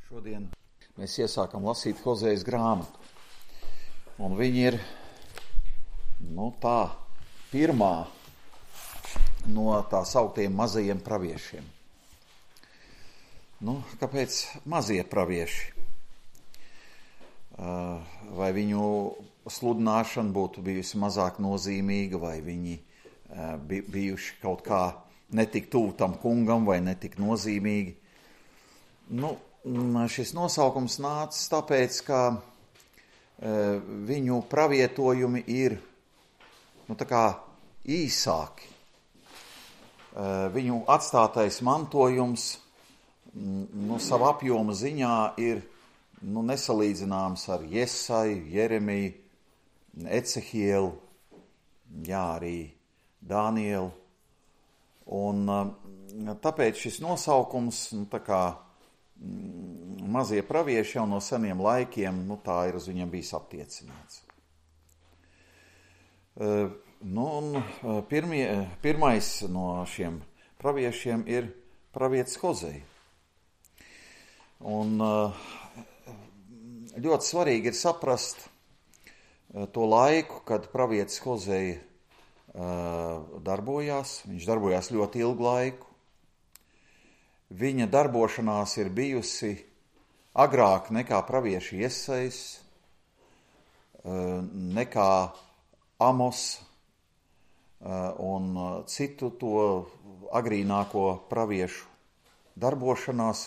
Šodien mēs iesākam lasīt Hozejas grāmatu. Un viņi ir, tā pirmā no tā sauktiem mazajiem praviešiem. Kāpēc mazie pravieši? Vai viņu sludināšana būtu bijusi mazāk nozīmīga, vai viņi bijuši kaut kā netik tuvu tam kungam, vai netik nozīmīgi? Šis nosaukums nācis tāpēc, ka viņu pravietojumi ir īsāki. Viņu atstātais mantojums savu apjomu ziņā ir nesalīdzināms ar Jesaju, Jeremiju, Ecehielu, arī Dānielu. Un tāpēc šis nosaukums, mazie pravieši jau no seniem laikiem, tā ir uz viņiem bijis attiecināts. Pirmais no šiem praviešiem ir pravietis Hozeja. Un ļoti svarīgi ir saprast to laiku, kad pravietis Hozeja darbojās. Viņš darbojās ļoti ilgu laiku. Viņa darbošanās ir bijusi agrāk nekā pravieši Jesajs, nekā Amos un citu to agrīnāko praviešu darbošanās.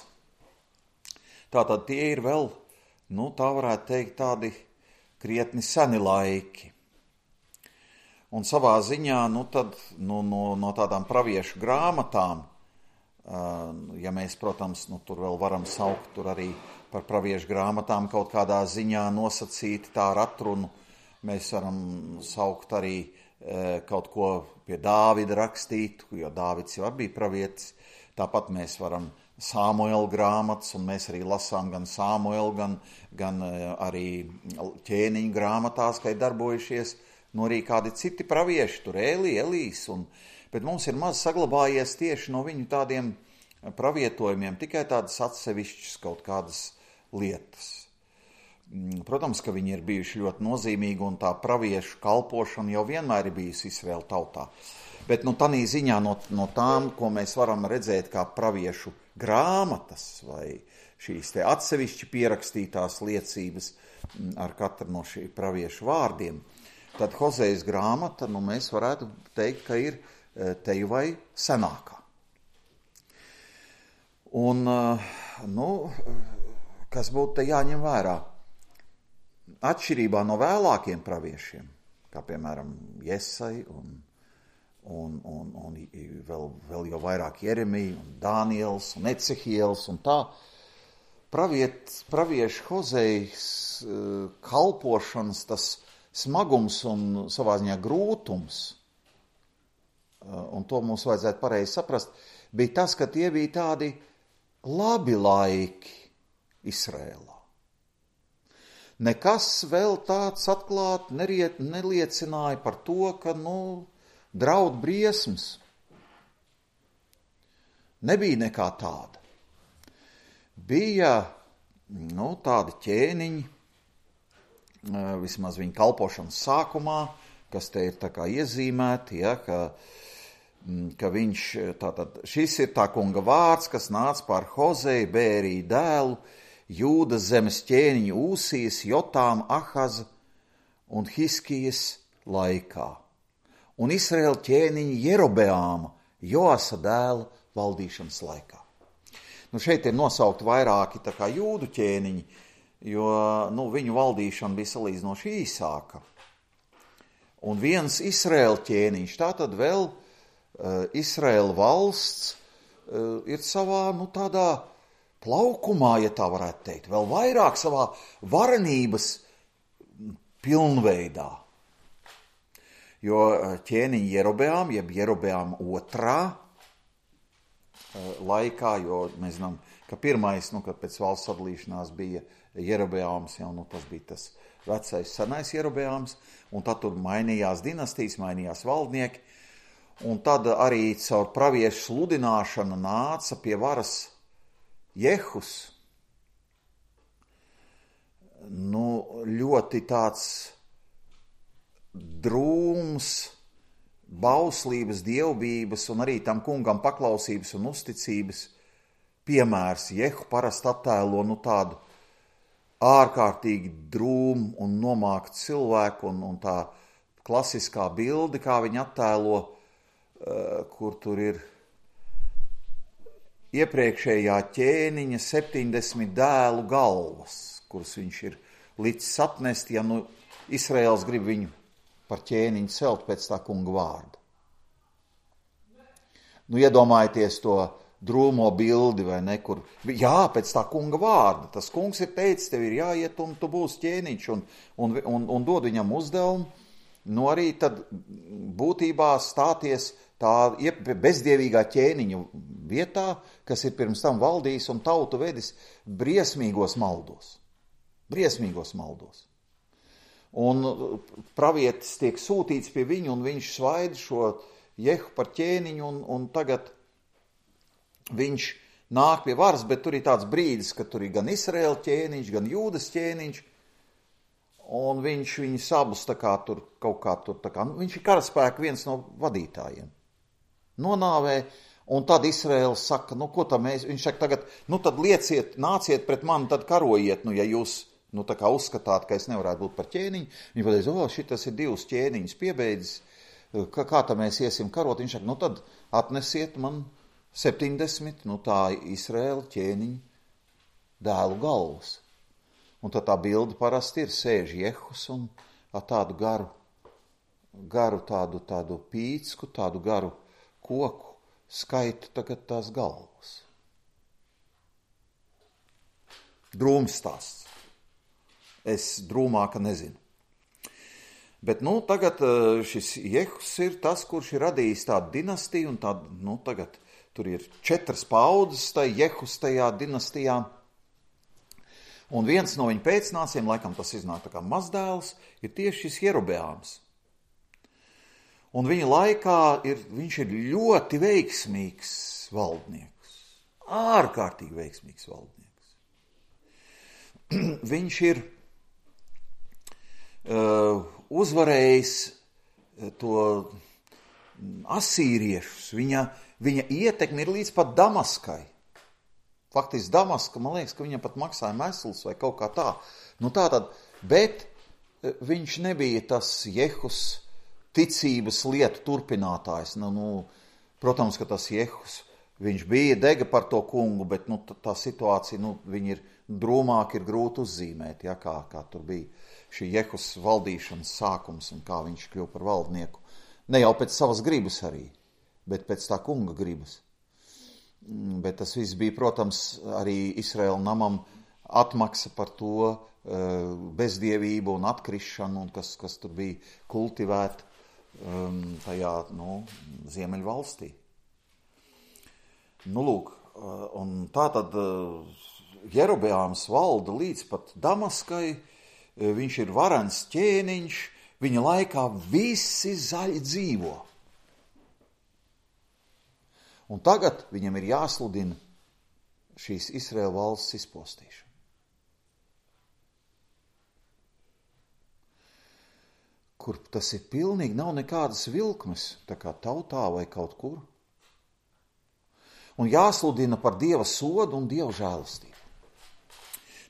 Tātad tie ir vēl, tā varētu teikt, tādi krietni seni laiki. Un savā ziņā, no tādām praviešu grāmatām, ja mēs, protams, tur vēl varam saukt tur arī par praviešu grāmatām kaut kādā ziņā nosacīt tā ar atrunu, mēs varam saukt arī kaut ko pie Dāvida rakstīt, jo Dāvids jau bija pravietis, tāpat mēs varam Samuela grāmatas, un mēs arī lasām gan Samuela, gan arī ķēniņu grāmatās, ka ir darbojušies, arī kādi citi pravieši, tur Elijas, bet mums ir maz saglabājies tieši no viņu tādiem pravietojumiem, tikai tādas atsevišķas kaut kādas lietas. Protams, ka viņi ir bijuši ļoti nozīmīgi, un tā praviešu kalpošana jau vienmēr ir bijusi Izraēla tautā. Bet tanī ziņā no tām, ko mēs varam redzēt kā praviešu grāmatas vai šīs te atsevišķi pierakstītās liecības ar katru no šī praviešu vārdiem, tad Hozejas grāmata, mēs varētu teikt, ka ir teju vai senākā. Un, kas būtu te jāņem vērā? Atšķirībā no vēlākiem praviešiem, kā piemēram Jesai un vēl jau vairāk Jeremija un Dāniels un Ecehiels un tā, praviešu Hozejas kalpošanas tas smagums un savā ziņā grūtums, un to mums vajadzētu pareizi saprast, bija tas, ka tie bija tādi labi laiki Izrēlā. Nekas vēl tāds atklāt neliecināja par to, ka, draud briesmas. Nebija nekā tāda. Bija, tādi ķēniņi, vismaz viņa kalpošanas sākumā, kas te ir tā kā iezīmēti, ka viņš, šis ir tā kunga vārds, kas nāca pār Hozeju, Bēriju dēlu, Jūdas zemes ķēniņu Ūsijas, Jotām, Ahaza un Hiskijas laikā. Un Izraēla ķēniņa Jerobeāma, Joasa dēla valdīšanas laikā. Šeit ir nosaukt vairāki tā kā jūdu ķēniņi, jo viņu valdīšana bija salīdzinoši īsāka. Un viens Izraēla ķēniņš, tātad vēl Izraēla valsts ir savā, tādā plaukumā, ja tā varētu teikt, vēl vairāk savā varenības pilnveidā. Jo ķēniņa Jerobeām, jeb Jerobeām otrā laikā, jo mēs zinām, ka pirmais, kad pēc valsts sadalīšanās bija Jerobeāms, tas bija tas vecais senais Jerobeāms, un tad tur mainījās dinastijas, mainījās valdnieki, un tad arī caur praviešu sludināšanu nāca pie varas Jehus, ļoti tāds drūms, bauslības, dievbības un arī tam kungam paklausības un uzticības piemērs. Jehu parasti attēlo tādu ārkārtīgi drūmu un nomāktu cilvēku, un tā klasiskā bilde, kā viņi attēlo, kur tur ir iepriekšējā ķēniņa 70 dēlu galvas, kuras viņš ir licis atnest, ja Izraēls grib viņu par ķēniņu celt pēc tā kunga vārda. Iedomājieties to drūmo bildi, vai ne, kur, pēc tā kunga vārda, tas kungs ir teicis, tev ir jāiet un tu būsi ķēniņš, un dod viņam uzdevumu, arī tad būtībā stāties tā bezdievīgā ķēniņa vietā, kas ir pirms tam valdījis un tautu vedis briesmīgos maldos. Un pravietis tiek sūtīts pie viņu, un viņš svaida šo Jehu par ķēniņu, un tagad viņš nāk pie varas, bet tur ir tāds brīdis, ka tur ir gan Izraēla ķēniņš, gan Jūdas ķēniņš, un viņš viņus abus viņš ir karaspēka viens no vadītājiem. Nonāvē, un tad Izraēls saka, ko tam viņš saka tagad, tad nāciet pret mani, tad karojiet, ja jūs tā kā uzskatāt, ka es nevarētu būt par ķēniņu. Viņi pateica, šitas ir 2 ķēniņus piebeidzis, kā tā mēs iesim karot. Viņš saka, tad atnesiet man 70, tā Izraēla ķēniņu dēlu galvas. Un tad tā bilde parasti ir, sēž Jehus un tādu garu tādu pīcku, tādu garu koku skaitu tagad tās galvas. Drūms stāsts. Es drūmāka nezinu. Bet tagad šis Jehus ir tas, kurš ir radījis tādu dinastiju, un tagad tur ir 4 paudzes Jehus tajā dinastijā. Un viens no viņa pēcnācējiem, laikam tas iznāk tā kā mazdēls, ir tieši šis Jerobeāms. Un viņa laikā viņš ir ļoti veiksmīgs valdnieks. Ārkārtīgi veiksmīgs valdnieks. Viņš ir uzvarējis to asīriešus. Viņa ietekme ir līdz pat Damaskai. Faktiski Damaska, man liekas, ka viņam pat maksāja mēsls vai kaut kā tā. Bet viņš nebija tas Jehus ticības lietu turpinātājs. Protams, ka tas Jehus, viņš bija dega par to kungu, bet tā situācija, viņa ir drūmāk, ir grūti uzzīmēt, kā tur bija šī Jehus valdīšanas sākums un kā viņš kļuva par valdnieku. Ne jau pēc savas gribas arī, bet pēc tā kunga gribas. Bet tas viss bija, protams, arī Izraēla namam atmaksa par to bezdievību un atkrišanu, un kas tur bija kultivēta tajā, Ziemeļvalstī. Lūk, un tātad Jerobeāms valda līdz pat Damaskai, viņš ir varens ķēniņš, viņa laikā visi zaļi dzīvo. Un tagad viņam ir jāsludina šīs Izraēla valsts izpostīšana. Kur tas ir pilnīgi, nav nekādas vilkmes, tā kā tautā vai kaut kur. Un jāsludina par Dieva sodu un Dieva žēlastību.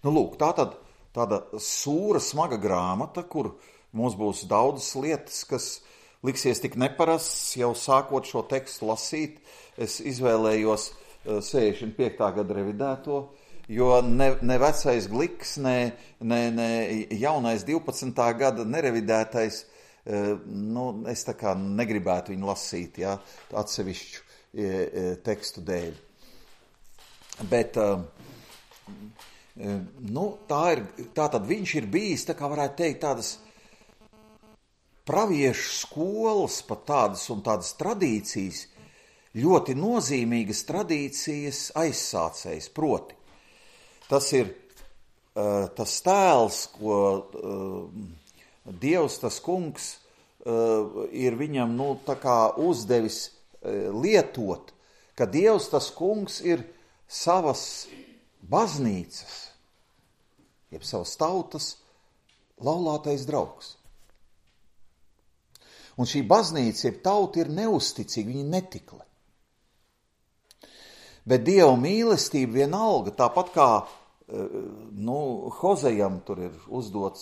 Lūk, tāda sūra, smaga grāmata, kur mums būs daudzas lietas, kas liksies tik neparasts, jau sākot šo tekstu lasīt. Es izvēlējos 65. gada revidēto, jo ne vecais Gliks, ne jaunais 12. gada nerevidētais, es tā kā negribētu viņu lasīt, atsevišķu tekstu dēļ. Bet tātad viņš ir bijis, tā kā varētu teikt, tādas praviešu skolas, pat tādas tradīcijas, ļoti nozīmīgas tradīcijas aizsācējs, proti. Tas ir tas tēls, ko Dievs, tas kungs, ir viņam tā kā uzdevis lietot, ka Dievs, tas kungs, ir savas baznīcas jeb savas tautas laulātais draugs. Un šī baznīca, jeb tauta, ir neusticīga, viņa netikli. Bet Dieva mīlestība vienalga, tāpat kā Hozejam tur ir uzdots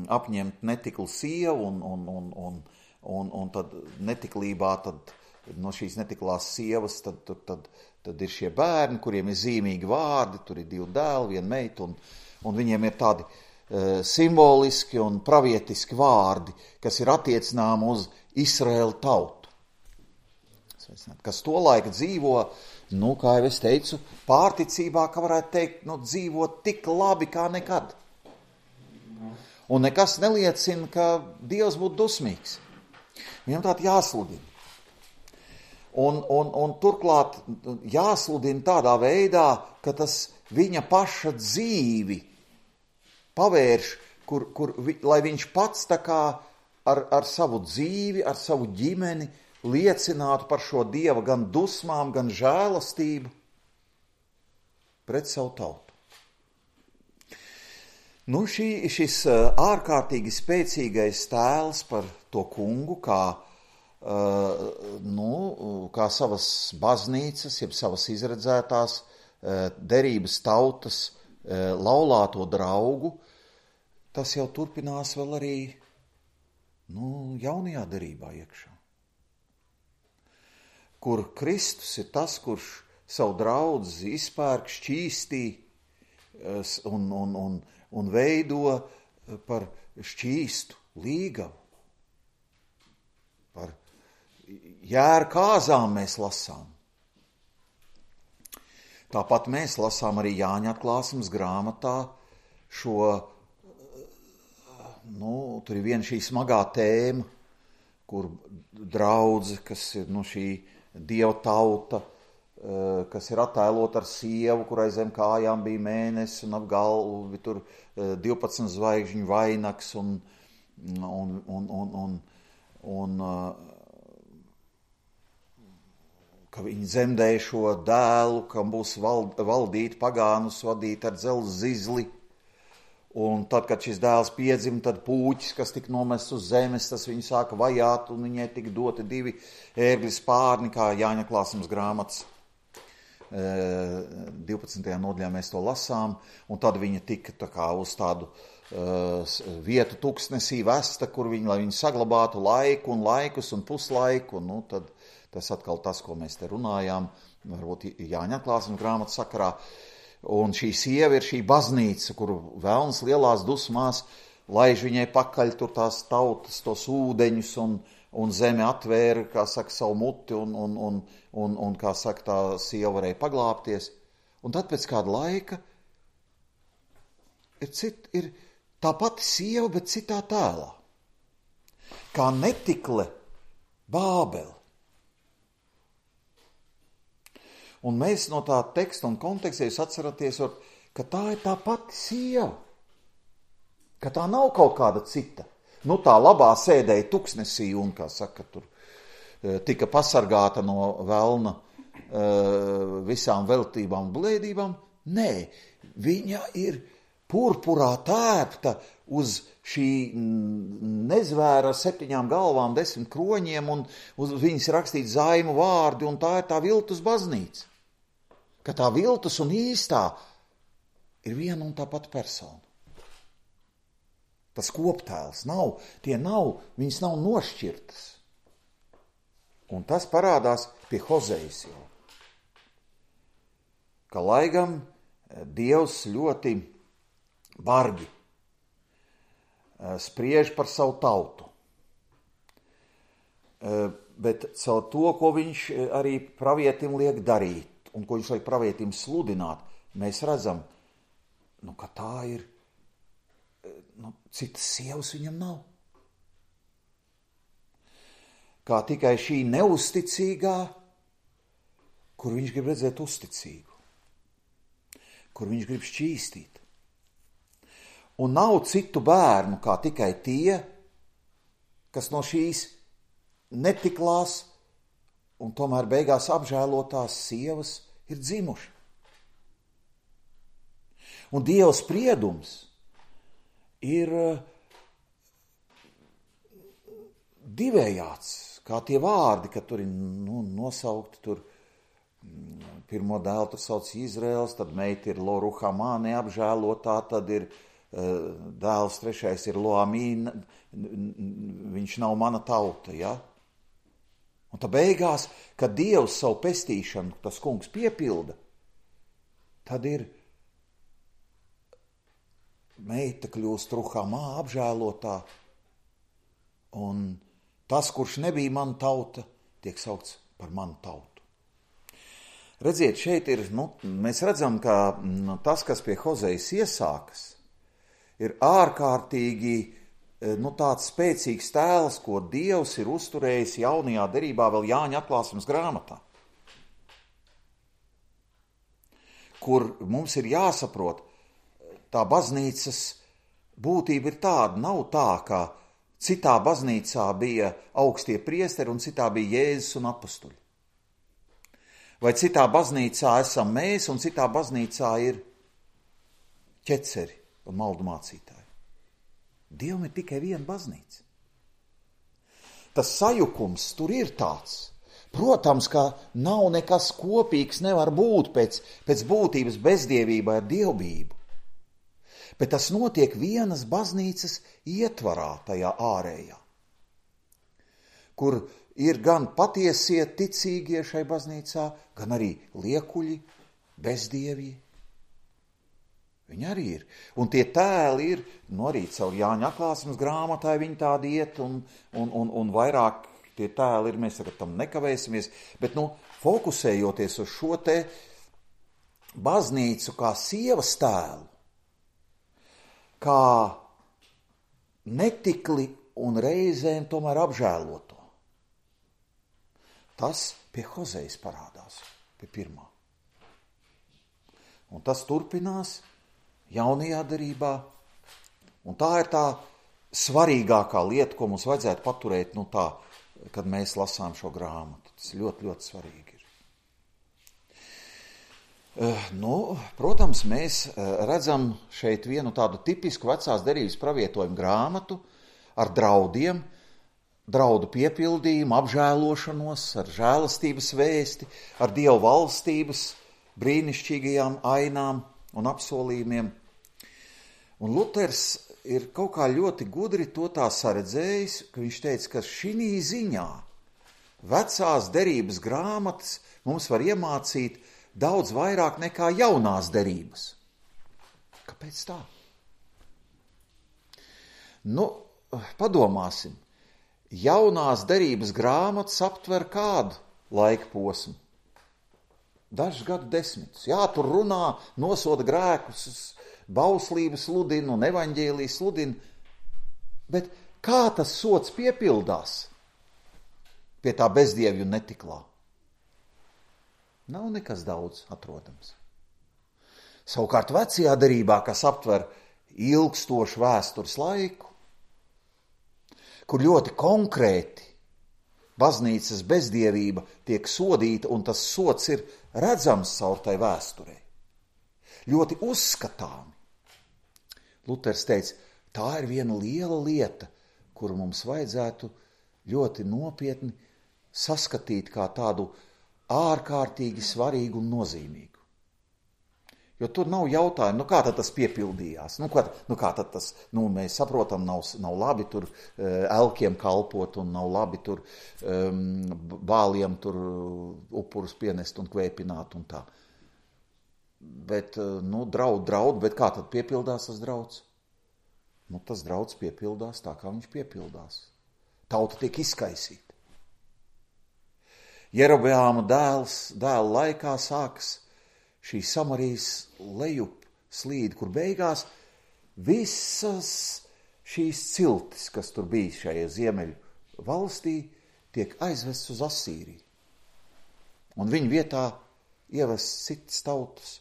apņemt netiklu sievu un tad netiklībā, tad no šīs netiklās sievas tad ir šie bērni, kuriem ir zīmīgi vārdi, tur ir 2 dēli, 1 meita, un viņiem ir tādi simboliski un pravietiski vārdi, kas ir attiecināmi uz Izraēlu tautu. Kas tolaik dzīvo, kā jau es teicu, pārticībā, ka varētu teikt, dzīvo tik labi kā nekad. Un nekas neliecina, ka Dievs būtu dusmīgs. Viņam tātad jāsludina. Un turklāt jāsludina tādā veidā, ka tas viņa paša dzīvi pavērš, lai viņš pats tā kā ar savu dzīvi, ar savu ģimeni liecinātu par šo Dieva gan dusmām, gan žēlastību pret savu tautu. Šis ārkārtīgi spēcīgais tēls par to kungu, kā savas baznīcas, jeb savas izredzētās derības tautas laulāto draugu, tas jau turpinās vēl arī jaunajā derībā iekšā. Kur Kristus ir tas, kurš savu draudzi izpērk, šķīstī un veido par šķīstu līgavu. Par jēru kāzām mēs lasām. Tāpat mēs lasām arī Jāņa atklāsmes grāmatā šo, tur ir viena šī smagā tēma, kur draudze, kas ir šī Dieva tauta, kas ir attēlot ar sievu, kurai zem kājām bija mēnesis un ap galvu tur 12 zvaigžņu vainags un ka viņi dzemdēja šo dēlu, kam būs valdīt pagānus, vadīt ar dzelzs zizli. Un tad, kad šis dēls piedzima, tad pūķis, kas tika nomests uz zemes, tas viņu sāka vajāt, un viņai tika doti 2 ērgļu spārni, kā Jāņa atklāsmes grāmatas 12. nodaļā mēs to lasām, un tad viņa tika tā kā uz tādu vietu tuksnesī vesta, kur lai viņi saglabātu laiku un laikus un puslaiku, un tad tas atkal tas, ko mēs te runājām, varbūt Jāņa atklāsmes grāmatas sakarā. Un šī sieva ir šī baznīca, kuru velns lielās dusmās laiž viņai pakaļ tur tās tautas, tos ūdeņus, un zeme atvēra, kā saka, savu muti, un kā saka, tā sieva varēja paglāpties. Un tad pēc kāda laika ir tā pati sieva, bet citā tēlā. Kā netikle Bābele. Un mēs no tā teksta un konteksta jūs atceraties, ka tā ir tā pati sieva, ka tā nav kaut kāda cita. Tā labā sēdēja tuksnesī un, kā saka, tur tika pasargāta no velna visām veltībām un blēdībām. Nē, viņa ir purpurā tērpta uz šī nezvēra ar 7 galvām, 10 kroņiem, un uz viņas rakstīt zaimu vārdi, un tā ir tā viltus baznīca. Ka tā viltus un īstā ir viena un tā pati persona. Tas koptēls viņas nav nošķirtas. Un tas parādās pie Hozejas jau. Ka lai gan Dievs ļoti bargi spriež par savu tautu, bet caur to, ko viņš arī pravietim liek darīt, un ko viņš liek pravietim sludināt, mēs redzam, ka tā ir, citas sievas viņam nav. Kā tikai šī neusticīgā, kur viņš grib redzēt uzticīgu, kur viņš grib šķīstīt. Un nav citu bērnu, kā tikai tie, kas no šīs netiklās un tomēr beigās apžēlotās sievas ir dzimuši. Un Dieva spriedums ir divējāds, kā tie vārdi, ka tur ir nosaukti tur pirmo dēlu, tur sauc Izraels, tad meita ir Lo-Ruhamā, neapžēlotā, tad ir dēls trešais ir Lo-Amī, viņš nav mana tauta, ja? Un tā beigās, kad Dievs savu pestīšanu, tas kungs piepilda, tad ir meita kļūst Ruhamā apžēlotā, un tas, kurš nebija mana tauta, tiek saukts par manu tautu. Redziet, šeit ir, mēs redzam, ka tas, kas pie Hozejas iesākas, ir ārkārtīgi tāds spēcīgs tēls, ko Dievs ir uzturējis jaunajā derībā vēl Jāņa atklāsmes grāmatā, kur mums ir jāsaprot, tā baznīcas būtība ir tāda, nav tā, ka citā baznīcā bija augstie priesteri un citā bija Jēzus un apustuļi. Vai citā baznīcā esam mēs un citā baznīcā ir ķeceri un maldu mācītāji. Dievam ir tikai viena baznīca. Tas sajukums tur ir tāds. Protams, ka nav nekas kopīgs, nevar būt pēc būtības bezdievībā ar dievbību. Bet tas notiek vienas baznīcas ietvarā, tajā ārējā, kur ir gan patiesie ticīgie šai baznīcā, gan arī liekuļi, bezdievji. Viņi arī ir. Un tie tēli ir, arī caur Jāņa atklāsmes grāmatai viņi tādi iet, un vairāk tie tēli ir, mēs tagad tam nekavēsimies, bet fokusējoties uz šo te baznīcu kā sievas tēlu, kā netikli un reizēm tomēr apžēloto. Tas pie Hozejas parādās, pie pirmā. Un tas turpinās jaunajā derībā, un tā ir tā svarīgākā lieta, ko mums vajadzētu paturēt, tā, kad mēs lasām šo grāmatu. Tas ļoti, ļoti svarīgi ir. Protams, mēs redzam šeit vienu tādu tipisku vecās derības pravietojumu grāmatu ar draudiem, draudu piepildījumu, apžēlošanos, ar žēlastības vēsti, ar Dieva valstības brīnišķīgajām ainām un apsolījumiem. Un Luters ir kaut kā ļoti gudri to tā saredzējis, ka viņš teica, ka šī ziņā vecās derības grāmatas mums var iemācīt daudz vairāk nekā jaunās derības. Kāpēc tā? Padomāsim. Jaunās derības grāmatas aptver kādu laika posmu? Dažus gadu desmitus. Jā, tur runā, nosoda grēkus, bauslības sludina un evaņģēlijas sludina, bet kā tas sods piepildās pie tā bezdievju netiklā? Nav nekas daudz atrodams. Savukārt vecajā derībā, kas aptver ilgstošu vēstures laiku, kur ļoti konkrēti baznīcas bezdievība tiek sodīta, un tas sods ir redzams caur tai vēsturei. Ļoti uzskatāmi. Luters teica, tā ir viena liela lieta, kuru mums vajadzētu ļoti nopietni saskatīt kā tādu ārkārtīgi svarīgu un nozīmīgu. Jo tur nav jautājumu, kā tad tas piepildījās, kā tad tas, mēs saprotam, nav labi tur elkiem kalpot un nav labi tur bāliem tur upurus pienest un kvēpināt un tā. Bet, draud, bet kā tad piepildās tas drauds? Tas drauds piepildās tā, kā viņš piepildās. Tauta tiek izkaisīta. Jerobeāma dēla laikā sākas šī Samarijas lejup slīde, kur beigās visas šīs ciltis, kas tur bija šajā ziemeļu valstī, tiek aizvests uz Asīriju. Un viņu vietā ievest citas tautas,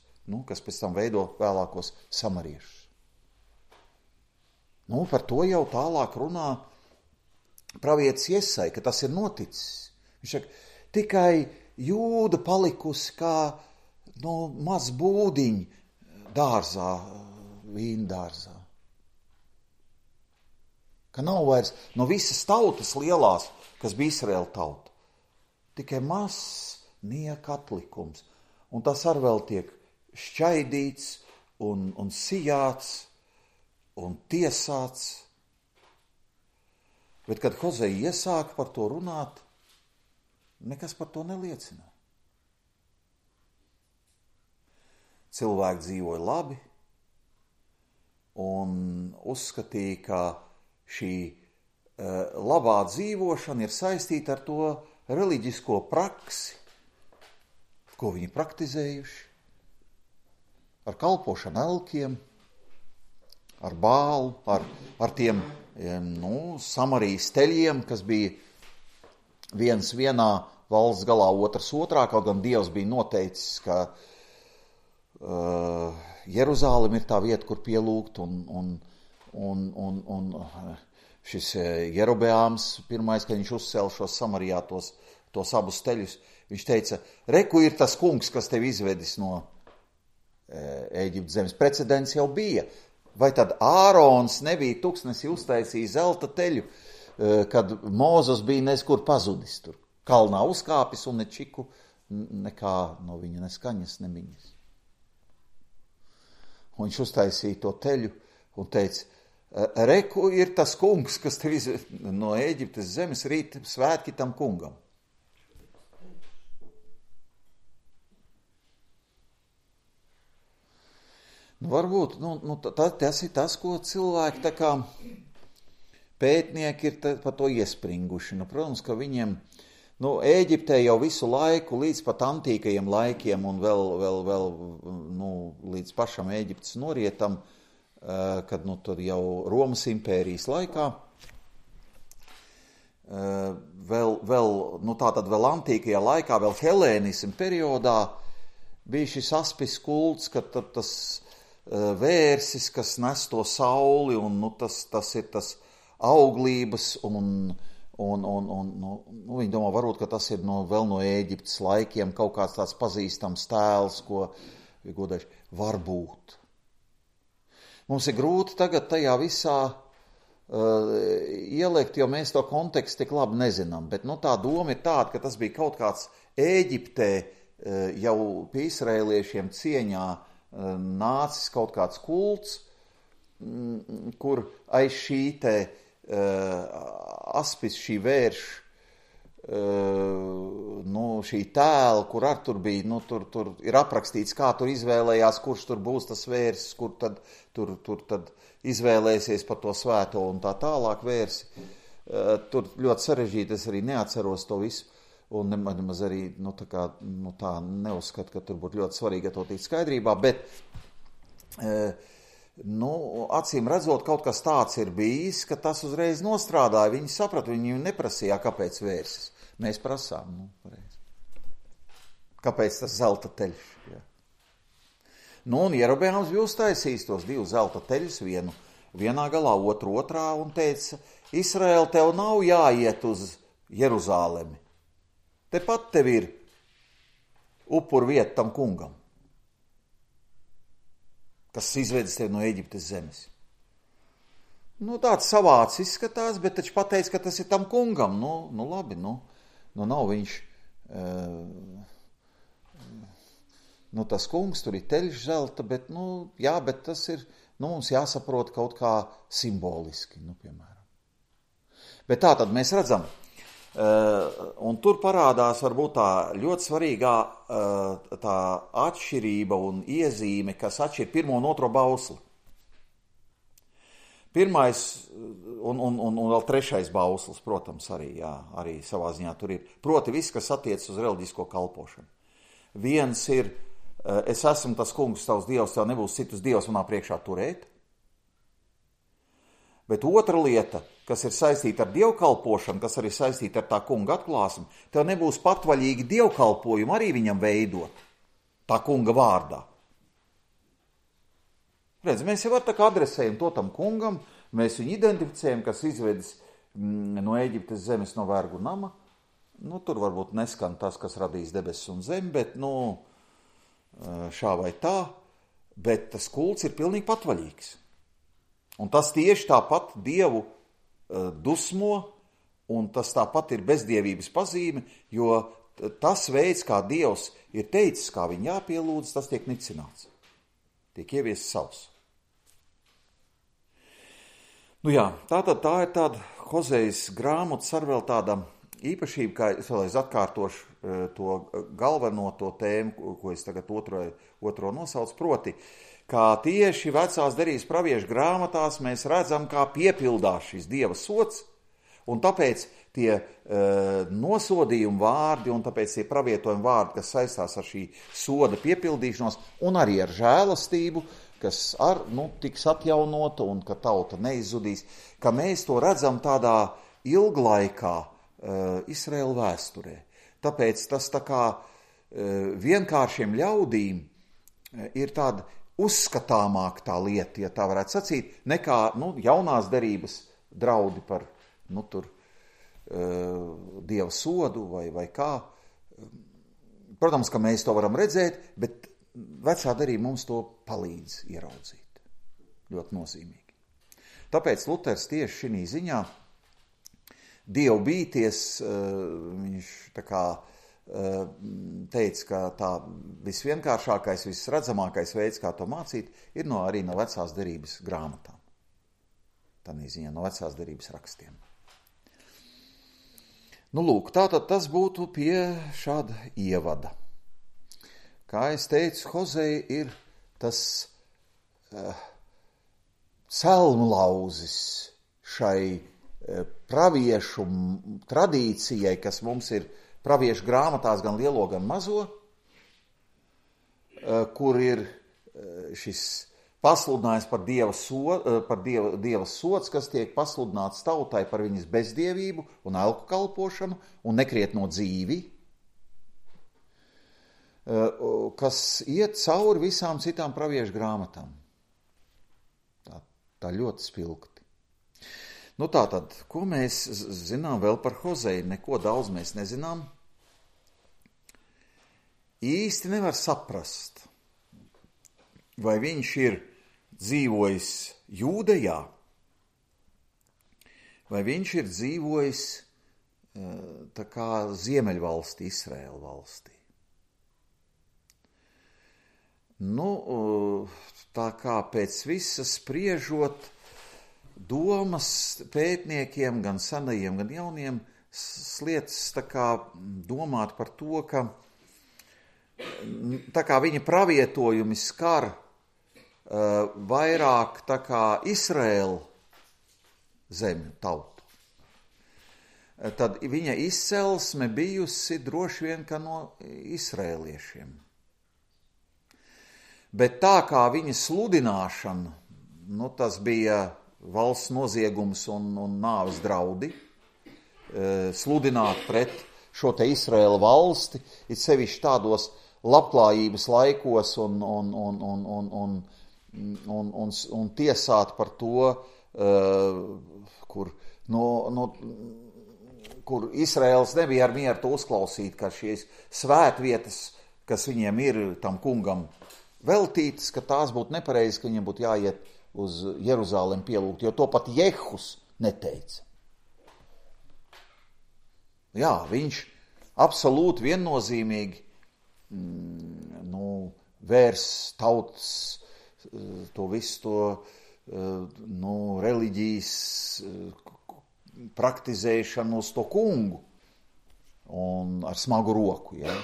kas pēc tam veido vēlākos samariešus. Par to jau tālāk runā pravietis Jesai, ka tas ir noticis. Viņš saka, tikai Jūda palikusi kā maz būdiņi dārzā vīndārzā. Ka nav vairs no visas tautas lielās, kas bija Izraēla tauta. Tikai mazs nieka atlikums. Un tas ar vēl tiek šķaidīts un sijāts un tiesāts. Bet, kad Hozei iesāka par to runāt, nekas par to neliecina. Cilvēki dzīvoja labi un uzskatīja, ka šī labā dzīvošana ir saistīta ar to reliģisko praksi, ko viņi praktizējuši, ar kalpošanu elkiem, ar bālu, ar tiem Samarijas teļiem, kas bija viens vienā valsts galā, otrs otrā, kaut gan Dievs bija noteicis, ka Jeruzālem ir tā vieta, kur pielūgt, un šis Jerobeāms pirmais, kad viņš uzcēla šos Samarijā tos abus teļus, viņš teica, reku ir tas kungs, kas tevi izvedis no Ēģiptes zemes. Precedents jau bija. Vai tad Ārons nebija tuksnesi uztaisījis zelta teļu, kad Mūzes bija neskur pazudis tur. Kalnā uzkāpis un ne čiku, nekā no viņa neskaņas, nemiņas. Un viņš uztaisīja to teļu un teica, reku ir tas kungs, kas tev izved no Ēģiptes zemes, rīt svētki tam kungam. Varbūt, tas ir tas, ko cilvēki tā kā pētnieki ir par to iespringuši. Protams, ka viņiem, Ēģiptē jau visu laiku, līdz pat antīkajiem laikiem un vēl līdz pašam Ēģiptes norietam, kad tad jau Romas impērijas laikā, tātad vēl antīkajā laikā, vēl helēnismu periodā bija šis aspis kults, ka tas vērsis, kas nes to sauli, un tas ir tas auglības, un viņi domā, varbūt, ka tas ir vēl no Ēģiptes laikiem kaut kāds tāds pazīstams tēls, ko godēši varbūt. Mums ir grūti tagad tajā visā ielikt, jo mēs to kontekstu tik labi nezinām, bet tā doma ir tāda, ka tas bija kaut kāds Ēģiptē jau pie izraēliešiem cieņā nācis kaut kāds kults, kur aiz šī te aspis, šī vērša, šī tēla, kur ar tur bija, tur ir aprakstīts, kā tur izvēlējās, kurš tur būs tas vērsis, kur tad izvēlēsies par to svēto un tā tālāk vērsi. Tur ļoti sarežģīti, es arī neatceros to visu. Un nemaz arī tā neuzskatu, ka tur būtu ļoti svarīgi to tikt skaidrībā, bet acīm redzot, kaut kas tāds ir bijis, ka tas uzreiz nostrādāja. Viņi saprata, viņi neprasīja, kāpēc vērsis. Mēs prasām, kāpēc tas zelta teļš. Ja. Un Jerobeāms bija uztaisījis tos divus zelta teļus, vienu vienā galā, otru otrā, un teica, Izraēl, tev nav jāiet uz Jeruzālemi. Tepat tev ir upuru vieta tam kungam, kas izvedis tevi no Ēģiptes zemes. Tāds savāds izskatās, bet taču pateic, ka tas ir tam kungam. Labi, nav viņš, tas kungs, tur ir teļš zelta, bet, bet tas ir, mums jāsaprot kaut kā simboliski, piemēram. Bet tā tad mēs redzam, un tur parādās varbūt tā ļoti svarīgā tā atšķirība un iezīme, kas atšķir pirmo un otro bausli. Pirmais un vēl trešais bauslis, protams, arī savā ziņā tur ir. Proti viss, kas attiecas uz reliģisko kalpošanu. Viens ir, es esmu tas kungs, tavs dievs, tev nebūs citus dievs manā priekšā turēt. Bet otra lieta, kas ir saistīta ar dievkalpošanu, kas arī saistīta ar tā kunga atklāsmi, tev nebūs patvaļīgi dievkalpojumu arī viņam veidot tā kunga vārdā. Redz, mēs jau tā kā adresējam to tam kungam, mēs viņu identificējam, kas izvedis no Ēģiptes zemes no vergu nama. Tur varbūt neskan tas, kas radīs debesis un zemi, bet šā vai tā. bet tas kults ir pilnīgi patvaļīgs. Un tas tieši tāpat Dievu dusmo, un tas tāpat ir bezdievības pazīme, jo tas veids, kā Dievs ir teicis, kā viņu jāpielūdz, tas tiek nicināts. Tiek ieviests savs. Nu jā, tā ir tāda Hozejas grāmatas ar vēl tāda īpašība, kā es vēlreiz atkārtošu to galveno to tēmu, ko es tagad otro nosaucu, proti, kā tieši vecās derības praviešu grāmatās mēs redzam, kā piepildās šis Dieva sods, un tāpēc tie nosodījumi vārdi un tāpēc tie pravietojumi vārdi, kas saistās ar šī soda piepildīšanos un arī ar žēlastību, kas tiks atjaunota un ka tauta neizzudīs, ka mēs to redzam tādā ilglaikā Izraēla vēsturē. Tāpēc tas tā kā vienkāršiem ļaudīm ir tāda uzskatāmāk tā lieta, ja tā varētu sacīt, nekā jaunās derības draudi par Dieva sodu vai kā. Protams, ka mēs to varam redzēt, bet vecā derība mums to palīdz ieraudzīt. Ļoti nozīmīgi. Tāpēc Luters tieši šī ziņā Dievu bīties, viņš tā kā teica, ka tā visvienkāršākais, visredzamākais veids, kā to mācīt, ir arī no vecās derības grāmatām. Tādā ziņā no vecās derības rakstiem. Lūk, tātad tas būtu pie šāda ievada. Kā es teicu, Hozeja ir tas celmlauzis šai praviešu tradīcijai, kas mums ir praviešu grāmatās gan lielo, gan mazo, kur ir šis pasludinājums par Dieva sods, kas tiek pasludināts tautai par viņas bezdievību un elku kalpošanu un nekrietno dzīvi, kas iet cauri visām citām praviešu grāmatām. Tā ļoti spilgti. Tātad, ko mēs zinām vēl par Hozeju? Neko daudz mēs nezinām. Īsti nevar saprast, vai viņš ir dzīvojis Jūdejā, vai viņš ir dzīvojis tā kā Ziemeļvalstī, Izraēla valstī. Tā kā pēc visas spriežot, domas pētniekiem, gan senajiem, gan jauniem, sliedz tā kā domāt par to, ka tā kā viņa pravietojumi skar vairāk tā kā Izraēla zemju tautu. Tad viņa izcelsme bijusi droši vien kā no izraēliešiem. Bet tā kā viņa sludināšana, tas bija valsts noziegums un nāves draudi, sludināt pret šo te Izraēla valsti, it sevišķi tādos labklājības laikos un tiesāt par to, kur Izraēls nebija ar mieru to uzklausīt, ka šīs svētvietas, kas viņiem ir tam kungam veltītas, ka tās būtu nepareizi, ka viņiem būtu jāiet uz Jeruzālemi pielūgt, jo to pat Jehus neteica. Jā, viņš absolūti viennozīmīgi vērs tautas to visu reliģijas praktizēšanu uz to kungu un ar smagu roku. Ja?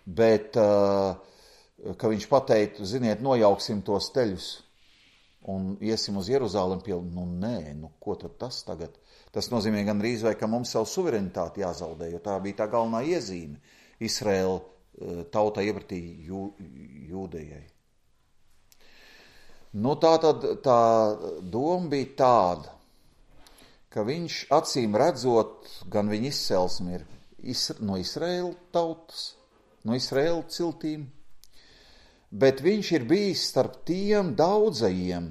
Bet, ka viņš pateiktu, ziniet, nojauksim tos teļus un iesim uz Jeruzālemi pielūgt. Ko tad tas tagad? Tas nozīmē gan drīz vai, ka mums savu suverenitāti jāzaudē, jo tā bija tā galvenā iezīme Izraēla tauta iepratī Jūdejai. Tā doma bija tāda, ka viņš acīm redzot, gan viņa izcelsme ir no Izraēla tautas, no Izraēla ciltīm, bet viņš ir bijis starp tiem daudzajiem,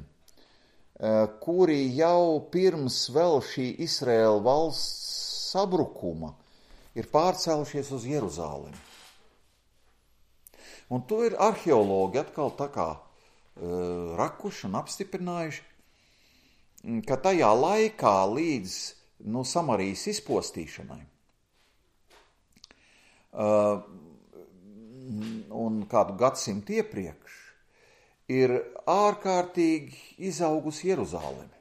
kuri jau pirms vēl šī Izraēla valsts sabrukuma ir pārcēlušies uz Jeruzālemi. Un to ir arheologi atkal tā kā rakuši un apstiprinājuši, ka tajā laikā līdz Samarijas izpostīšanai un kādu gadsimtu iepriekš ir ārkārtīgi izaugusi Jeruzaleme.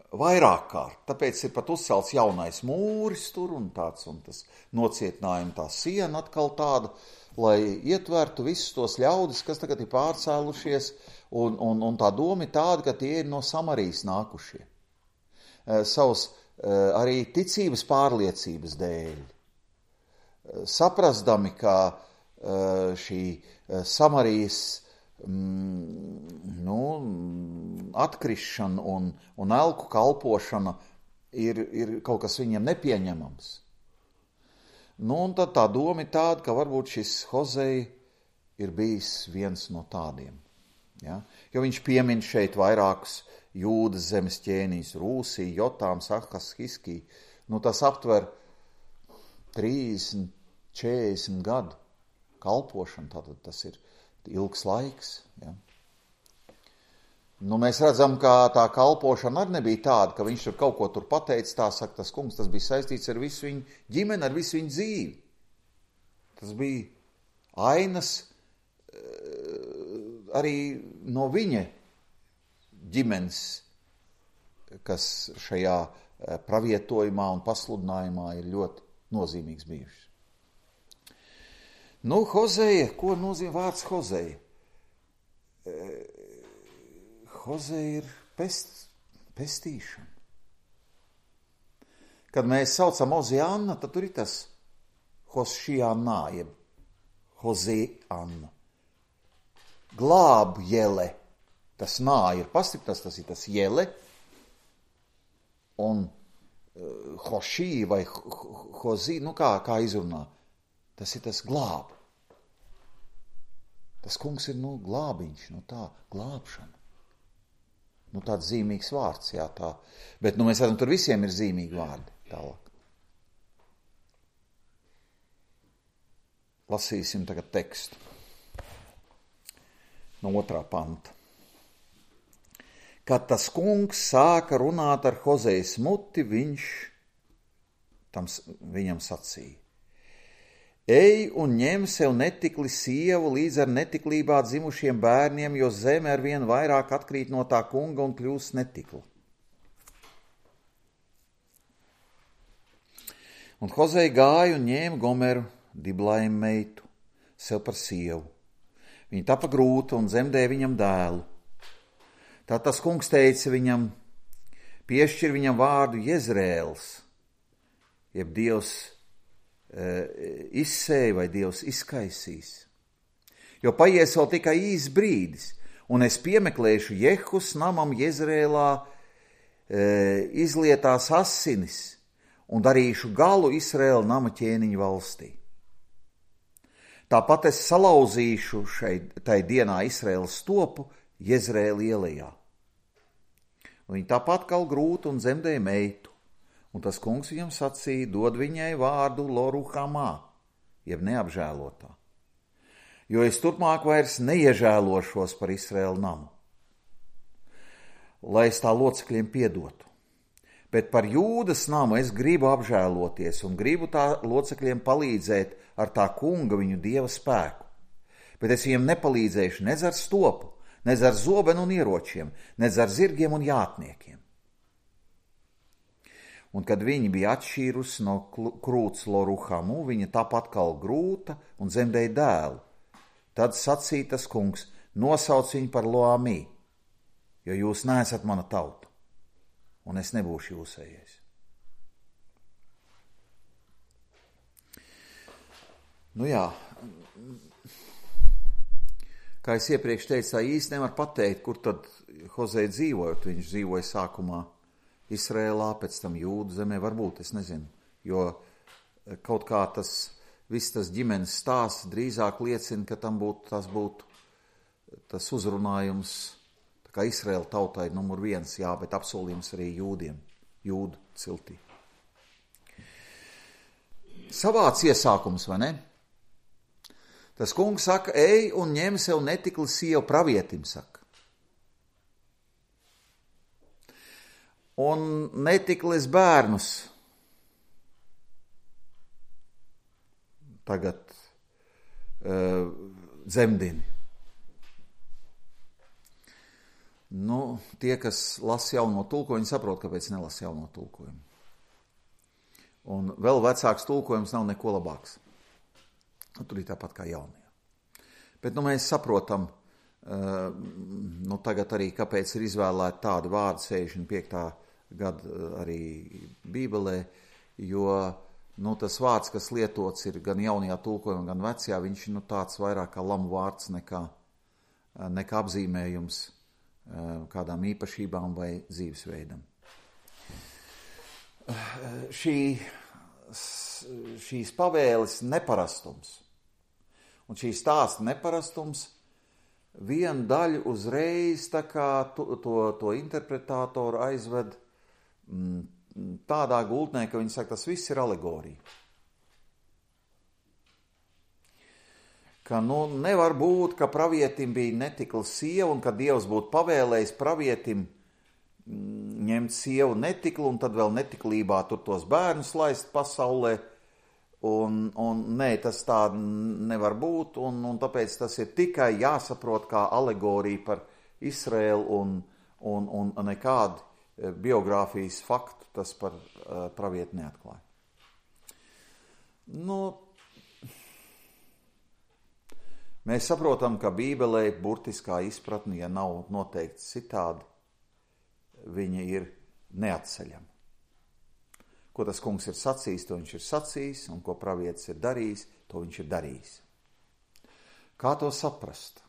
Vairāk kārt, tāpēc ir pat uzcelts jaunais mūris tur un tas nocietinājuma tā siena atkal tāda, lai ietvertu visus tos ļaudis, kas tagad ir pārcēlušies, un tā doma ir tāda, ka tie ir no Samarijas nākušie. Savas arī ticības pārliecības dēļ. Saprasdami, ka šī Samarijas atkrišana un elku kalpošana ir kaut kas viņiem nepieņemams. Un tad tā doma ir tāda, ka varbūt šis Hozei ir bijis viens no tādiem. Ja? Jo viņš piemin šeit vairākus Jūdas zemes ķēnījus, Rūsī, Jotāms, Ahas, Hiskī. Tas aptver 30, 40 gadu kalpošanu, tātad tas ir ilgs laiks. Ja? Mēs redzam, ka tā kalpošana arī nebija tāda, ka viņš tur kaut ko tur pateica, tā saka tas kungs, tas bija saistīts ar visu viņu ģimeni, ar visu viņu dzīvi. Tas bija ainas arī no viņa ģimenes, kas šajā pravietojumā un pasludinājumā ir ļoti nozīmīgs bijušas. Hozeja, ko nozīmē vārds Hozeja? Hozeja ir pestīšana. Kad mēs saucam Oziāna, tad tur ir tas Hosšiānā, jeb Hoziāna. Glāb jele. Tas nā ir pastiprināts, tas ir tas jele. Un Hošī vai Hozī, kā izrunā, tas ir tas glāb. Tas kungs ir glābiņš, tā glābšana. Tāds zīmīgs vārds, jā, tā. Bet mēs redzam, tur visiem ir zīmīgi vārdi tālāk. Lasīsim tagad tekstu no 2. panta. Kad tas kungs sāka runāt ar Hozejas muti, viņš viņam sacīja: Ej un ņem sev netikli sievu līdz ar netiklībā dzimušiem bērniem, jo zeme ar vien vairāk atkrīt no tā kunga un kļūst netikla. Un Hozeja gāja un ņēma Gomeru, Diblaimu meitu, sev par sievu. Viņa tapa grūta un dzemdēja viņam dēlu. Tad tas kungs teica viņam, piešķir viņam vārdu Jezrēls, jeb Dievs izsēja vai Dievs izkaisīs. Jo paies vēl tikai īs brīdis, un es piemeklēšu Jehus namam Jezrēlā izlietās asinis un darīšu galu Izraēla nama ķēniņu valstī. Tāpat es salauzīšu tai dienā Izraēlas stopu Jezrēla ielejā. Viņa tāpat kal grūtu un dzemdēja meitu, un tas kungs viņam sacīja, dod viņai vārdu Loruhamā, jeb neapžēlotā, jo es turpmāk vairs neiežēlošos par Izraēla namu, lai es tā locekļiem piedotu. Bet par Jūdas namu es gribu apžēloties un gribu tā locekļiem palīdzēt ar tā kunga viņu Dieva spēku. Bet es viņiem nepalīdzēšu nez ar stopu, nez ar zobenu un ieročiem, nez ar zirgiem un jātniekiem. Un kad viņi bija atšķīrusi no krūts Loruhamu, viņa tāpat kal grūta un dzemdēja dēlu. Tad sacīja tas kungs, nosauc viņu par Loamī, jo jūs neesat mana tauta, un es nebūšu jūsējais. Kā es iepriekš teicu, tā īsti nevar pateikt, kur tad Hozei dzīvoja. Viņš dzīvoja sākumā Izrēlā, pēc tam Jūdu zemē, varbūt, es nezinu, jo kaut kā viss tas ģimenes stāsts drīzāk liecina, ka tas būtu tas uzrunājums, tā kā Izrēla tautai numur 1, jā, bet apsolījums arī jūdiem, jūdu ciltī. Savāds iesākums, vai ne? Tas kungs saka, ej un ņem sev netikli sievu, pravietim saka. Un netiklis bērnus tagad dzemdini. Nu, tie, kas lasa jauno tulkojumu, saprot, kāpēc nelasa jauno tulkojumu. Un vēl vecāks tulkojums nav neko labāks. Tur ir tāpat kā jaunajā. Bet mēs saprotam, tagad arī, kāpēc ir izvēlēti tādi vārdi 65. gada arī Bībelē, jo tas vārds, kas lietots ir gan jaunajā tulkojumā, gan vecajā, viņš tāds vairāk kā lamu vārds nekā apzīmējums kādām īpašībām vai dzīvesveidam. Šīs pavēles neparastums un šīs stāsta neparastums vienu daļu uzreiz tā kā to interpretātoru aizved tādā gultnē, ka viņi saka, tas viss ir alegorija. Ka nevar būt, ka pravietim bija netikla sieva un ka Dievs būtu pavēlējis pravietim ņemt sievu netiklu un tad vēl netiklībā tur tos bērnus laist pasaulē. Un nē, tas tā nevar būt, un tāpēc tas ir tikai jāsaprot kā alegorija par Izraēlu un nekādu biogrāfijas faktu tas par pravietu neatklāja. Mēs saprotam, ka Bībelē burtiskā izpratne, ja nav noteikti citādi, viņa ir neatceļama. Ko tas kungs ir sacījis, to viņš ir sacījis, un ko pravietis ir darījis, to viņš ir darījis. Kā to saprast?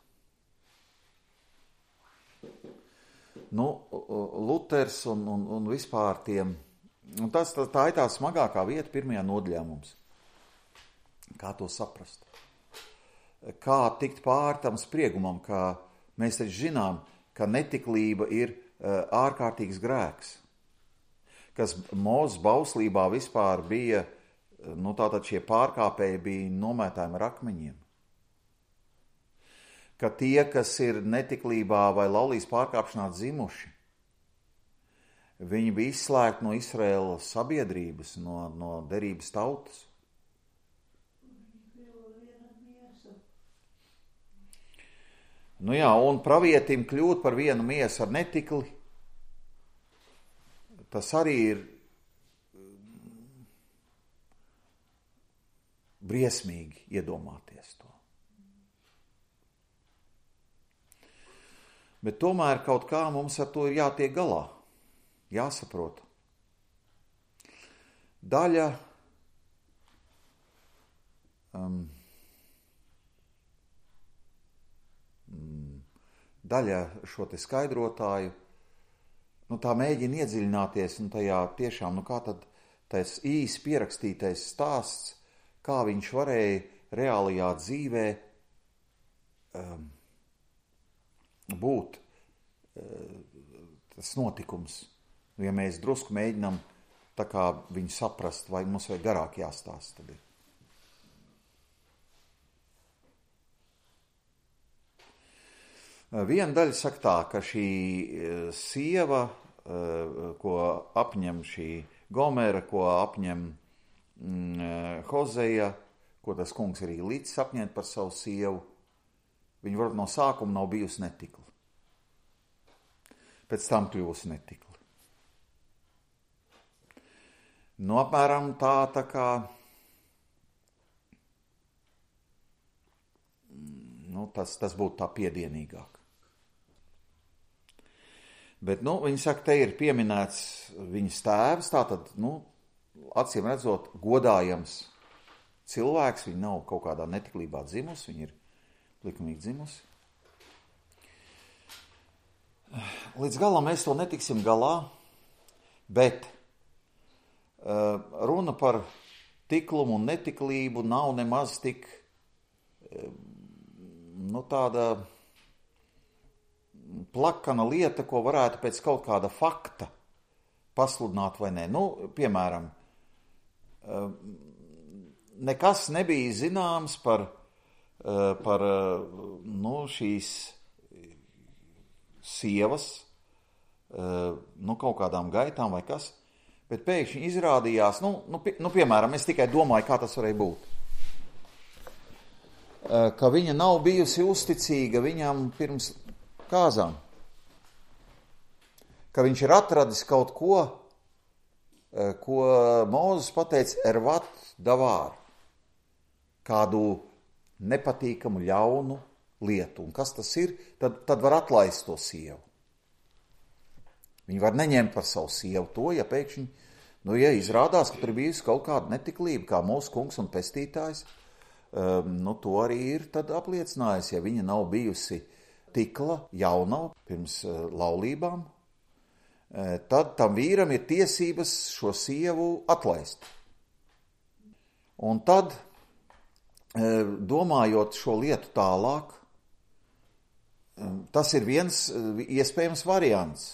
Luters un vispār tiem, tā ir tā smagākā vieta pirmajā nodaļā mums. Kā to saprast? Kā tikt pāri tam spriegumam, kā mēs taču zinām, ka netiklība ir ārkārtīgs grēks, kas Mūzes bauslībā vispār bija, tātad šie pārkāpēji bija nomētājumi ar akmeņiem. Ka tie, kas ir netiklībā vai laulības pārkāpšanā dzimuši, viņi bija izslēgti no Izraēlas sabiedrības, no derības tautas. Un pravietim kļūt par vienu miesu ar netikli, tas arī ir briesmīgi iedomāties to. Bet tomēr kaut kā mums ar to ir jātiek galā, jāsaprot. Daļa šo te skaidrotāju, tā mēģina iedziļināties, tajā tiešām, kā tad tas īsi pierakstītais stāsts, kā viņš varēja reālajā dzīvē būt tas notikums. Ja mēs drusku mēģinām tā kā viņu saprast, vai mums vajag garāk jāstāsta, tad ir. Viena daļa saka tā, ka šī sieva, ko apņem šī Gomera, ko apņem Hozeja, ko tas kungs arī līdz apņemt par savu sievu, viņa varbūt no sākuma nav bijusi netikla. Pēc tam kļūsi netikla. Apmēram tā kā tas būtu tā piedienīgāk. Bet, viņi saka, te ir pieminēts viņas tēvs, tātad, acīm redzot, godājams cilvēks, viņa nav kaut kādā netiklībā dzimusi, viņa ir likumīgi dzimusi. Līdz galam mēs to netiksim galā, bet runa par tiklumu un netiklību nav nemaz tik tāda plakana lieta, ko varētu pēc kaut kāda fakta pasludināt vai nē. Piemēram, nekas nebija zināms par par šīs sievas, kaut kādām gaitām vai kas, bet pēkšņi izrādījās, piemēram, es tikai domāju, kā tas varēja būt, ka viņa nav bijusi uzticīga viņam pirms kāzām, ka viņš ir atradis kaut ko, ko Mūzes pateica ervat davār, kādu nepatīkamu, ļaunu lietu. Un kas tas ir? Tad var atlaist to sievu. Viņi var neņemt par savu sievu to, ja pēkšņi, ja izrādās, ka tur bijusi kaut kāda netiklība, kā mūsu kungs un pestītājs, to arī ir tad apliecinājis, ja viņa nav bijusi tikla jaunava pirms laulībām, tad tam vīram ir tiesības šo sievu atlaist. Un tad, domājot šo lietu tālāk, tas ir viens iespējams variants,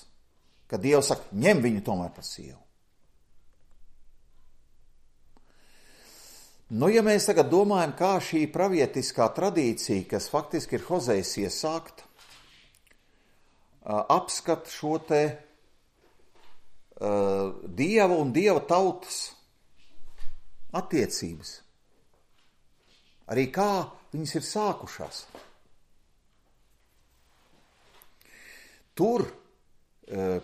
ka Dievs saka, ņem viņu tomēr par sievu. Ja mēs tagad domājam, kā šī pravietiskā tradīcija, kas faktiski ir Hozejas iesākta, apskat šo te Dieva un Dieva tautas attiecības. Arī kā viņas ir sākušās. Tur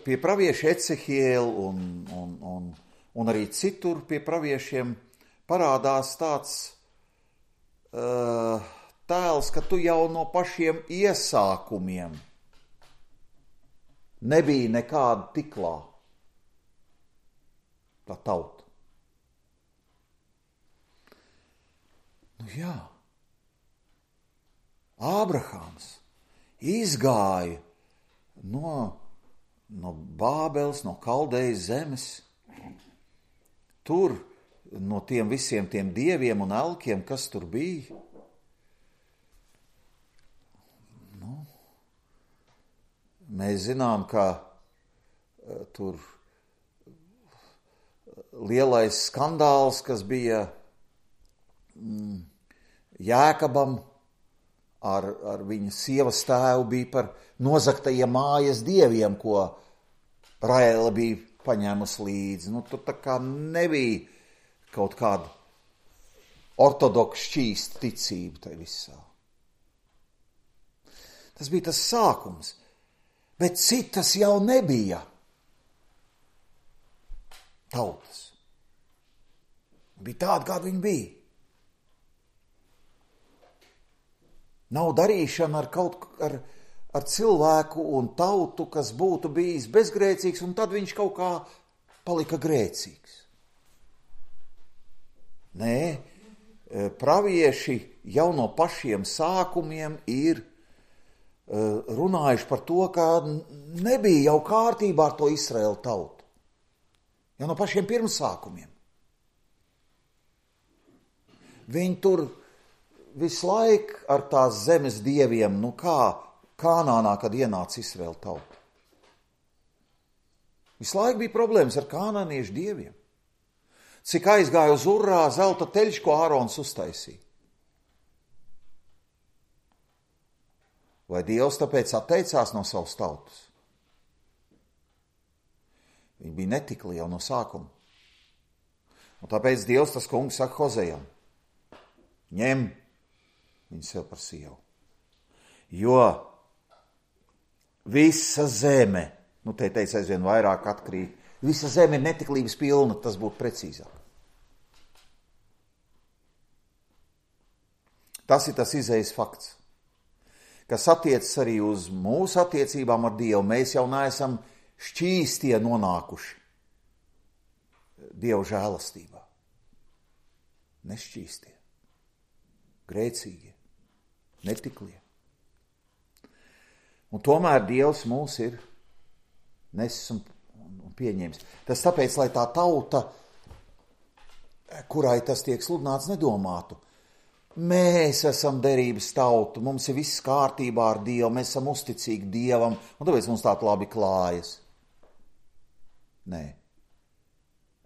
pie pravieša Ecehiela un arī citur pie praviešiem parādās tāds tēls, ka tu jau no pašiem iesākumiem nebija nekāda tiklā tā tauta. Jā, Ābrahāms izgāja no Bābeles, no Kaldejas zemes, tur no tiem visiem tiem dieviem un elkiem, kas tur bija. Mēs zinām, ka tur lielais skandāls, kas bija Jēkabam ar viņa sievas tēvu, bija par nozagtajiem mājas dieviem, ko Raēla bija paņēmusi līdzi. Tur tā kā nebija kaut kāda ortodoksa šķīsta ticība tai visā. Tas bija tas sākums, bet citas jau nebija tautas. Bija tāda, kāda viņa bija. Nav darīšana ar cilvēku un tautu, kas būtu bijis bezgrēcīgs, un tad viņš kaut kā palika grēcīgs. Nē, pravieši jau no pašiem sākumiem ir runājuši par to, ka nebija jau kārtībā ar to Izraēlu tautu. Jau no pašiem pirmsākumiem. Viņi tur visu laiku ar tās zemes dieviem, kā Kānānā, kad ienāca Izraēla tauta. Visu laiku bija problēmas ar kānāniešu dieviem. Cik aizgāja uz urrā zelta teļš, ko Ārons uztaisīja. Vai Dievs tāpēc atteicās no savas tautas? Viņi bija netikli jau no sākuma. Un tāpēc Dievs, tas kungs, saka Hozejam, ņem viņu sev par sievu. Jo visa zeme, te teica aizvien vairāk atkrīt, visa zeme ir netiklības pilna, tas būtu precīzāk. Tas ir tas izējas fakts, kas attiecas arī uz mūsu attiecībām ar Dievu. Mēs jau neesam šķīstie nonākuši Dieva žēlastībā. Nešķīstie, grēcīgie, netiklie. Un tomēr Dievs mūs ir nesis un pieņēmis. Tas tāpēc, lai tā tauta, kurai tas tiek sludināts, nedomātu. Mēs esam derības tauta, mums ir viss kārtībā ar Dievu, mēs esam uzticīgi Dievam, un tāpēc mums tā labi klājas. Nē.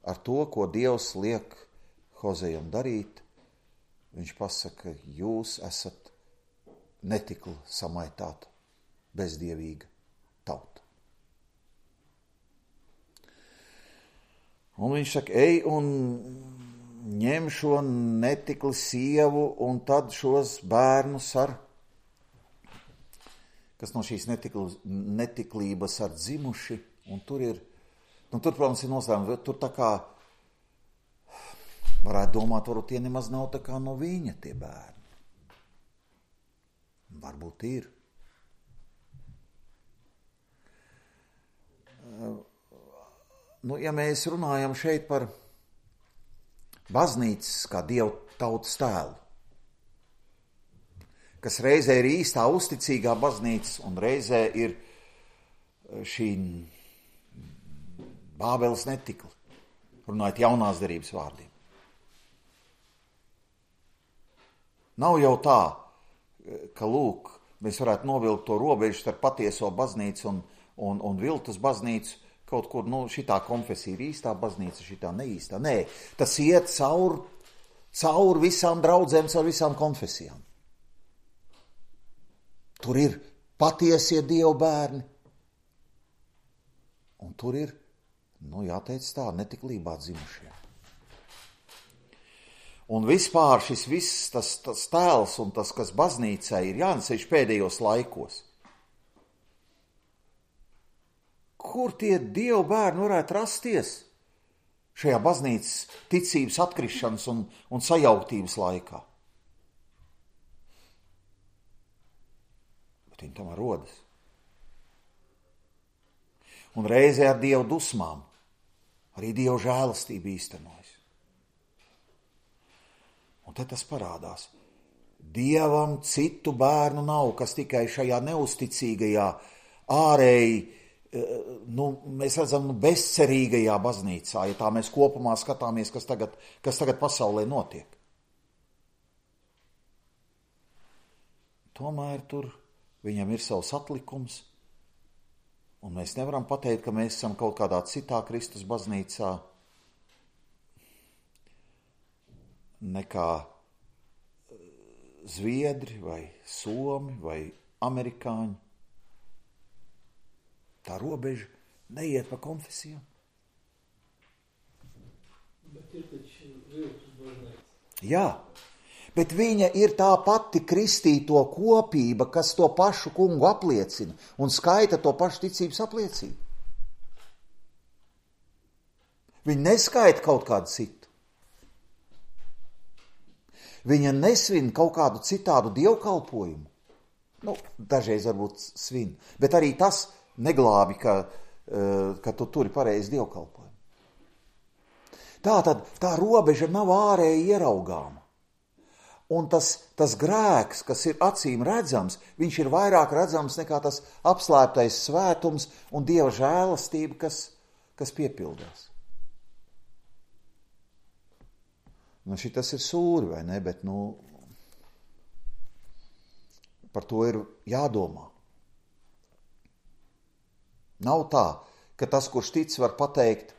Ar to, ko Dievs liek Hozejam darīt, viņš pasaka, jūs esat netikla samaitāta, bezdievīga tauta. Un viņš saka, ej un ņem šo netikli sievu un tad šos bērnus kas no šīs netiklības dzimuši, un tur ir, tur, protams, ir noslēmumi, tur tā kā, varētu domāt, varbūt tie nemaz nav tā kā no viņa tie bērni. Varbūt ir. Ja mēs runājam šeit par baznīcas kā Dieva tautas tēlu, kas reizē ir īstā uzticīgā baznīca un reizē ir šī Bābeles netikla, runājot jaunās derības vārdiem. Nav jau tā, ka, lūk, mēs varētu novilkt to robežu starp patieso baznīcu un viltus baznīcu, kaut kur, šitā konfesija ir īstā baznīca, šitā neīstā. Nē, tas iet caur visām draudzēm, caur visām konfesijām. Tur ir patiesie Dieva bērni, un tur ir, jāteic tā, netiklībā dzimušie. Un vispār šis viss tas tēls un tas, kas baznīcai ir jānesēž pēdējos laikos. Kur tie Dieva bērni varētu rasties šajā baznīcas ticības atkrišanas un sajauktības laikā? Bet viņi tomēr rodas. Un reizē ar Dieva dusmām, arī Dieva žēlastība īstenojas. Un te tas parādās. Dievam citu bērnu nav, kas tikai šajā neusticīgajā, ārēji, mēs redzam, bezcerīgajā baznīcā, ja tā mēs kopumā skatāmies, kas tagad pasaulē notiek. Tomēr tur viņam ir savs atlikums, un mēs nevaram pateikt, ka mēs esam kaut kādā citā Kristus baznīcā nekā zviedri vai somi vai amerikāņi. Tā robeža neiet pa konfesijām. Bet ir taču viltus baznīca. Jā, bet viņa ir tā pati kristīto kopība, kas to pašu kungu apliecina un skaita to pašu ticības apliecību. Viņa neskaita kaut kādu citu. Viņa nesvin kaut kādu citādu dievkalpojumu. Dažreiz varbūt svin, bet arī tas neglābi, ka tu turi pareizi dievkalpojumu. Tātad tā robeža nav ārēji ieraugāma. Un tas grēks, kas ir acīm redzams, viņš ir vairāk redzams nekā tas apslēptais svētums un Dieva žēlastība, kas piepildās. Šitas ir sūri, vai ne, bet par to ir jādomā. Nav tā, ka tas, kurš tic, var pateikt,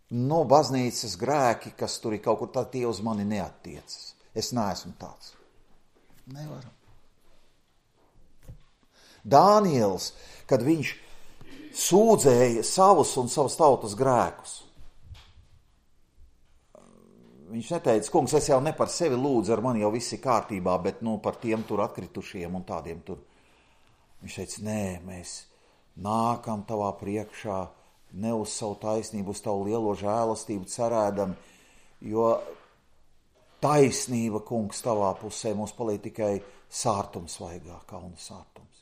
baznīcas grēki, kas tur ir kaut kur, tā tie uz mani neattiecas. Es neesmu tāds. Nevaram. Dāniels, kad viņš sūdzēja savus un savas tautas grēkus, viņš neteica, kungs, es jau ne par sevi lūdzu, ar mani jau viss ir kārtībā, bet par tiem tur atkritušiem un tādiem tur. Viņš teica, nē, mēs nākam tavā priekšā, ne uz savu taisnību, uz tavu lielo žēlastību cerēdam, jo taisnība, kungs, tavā pusē mums paliek tikai sārtums vaigā, kauna sārtums.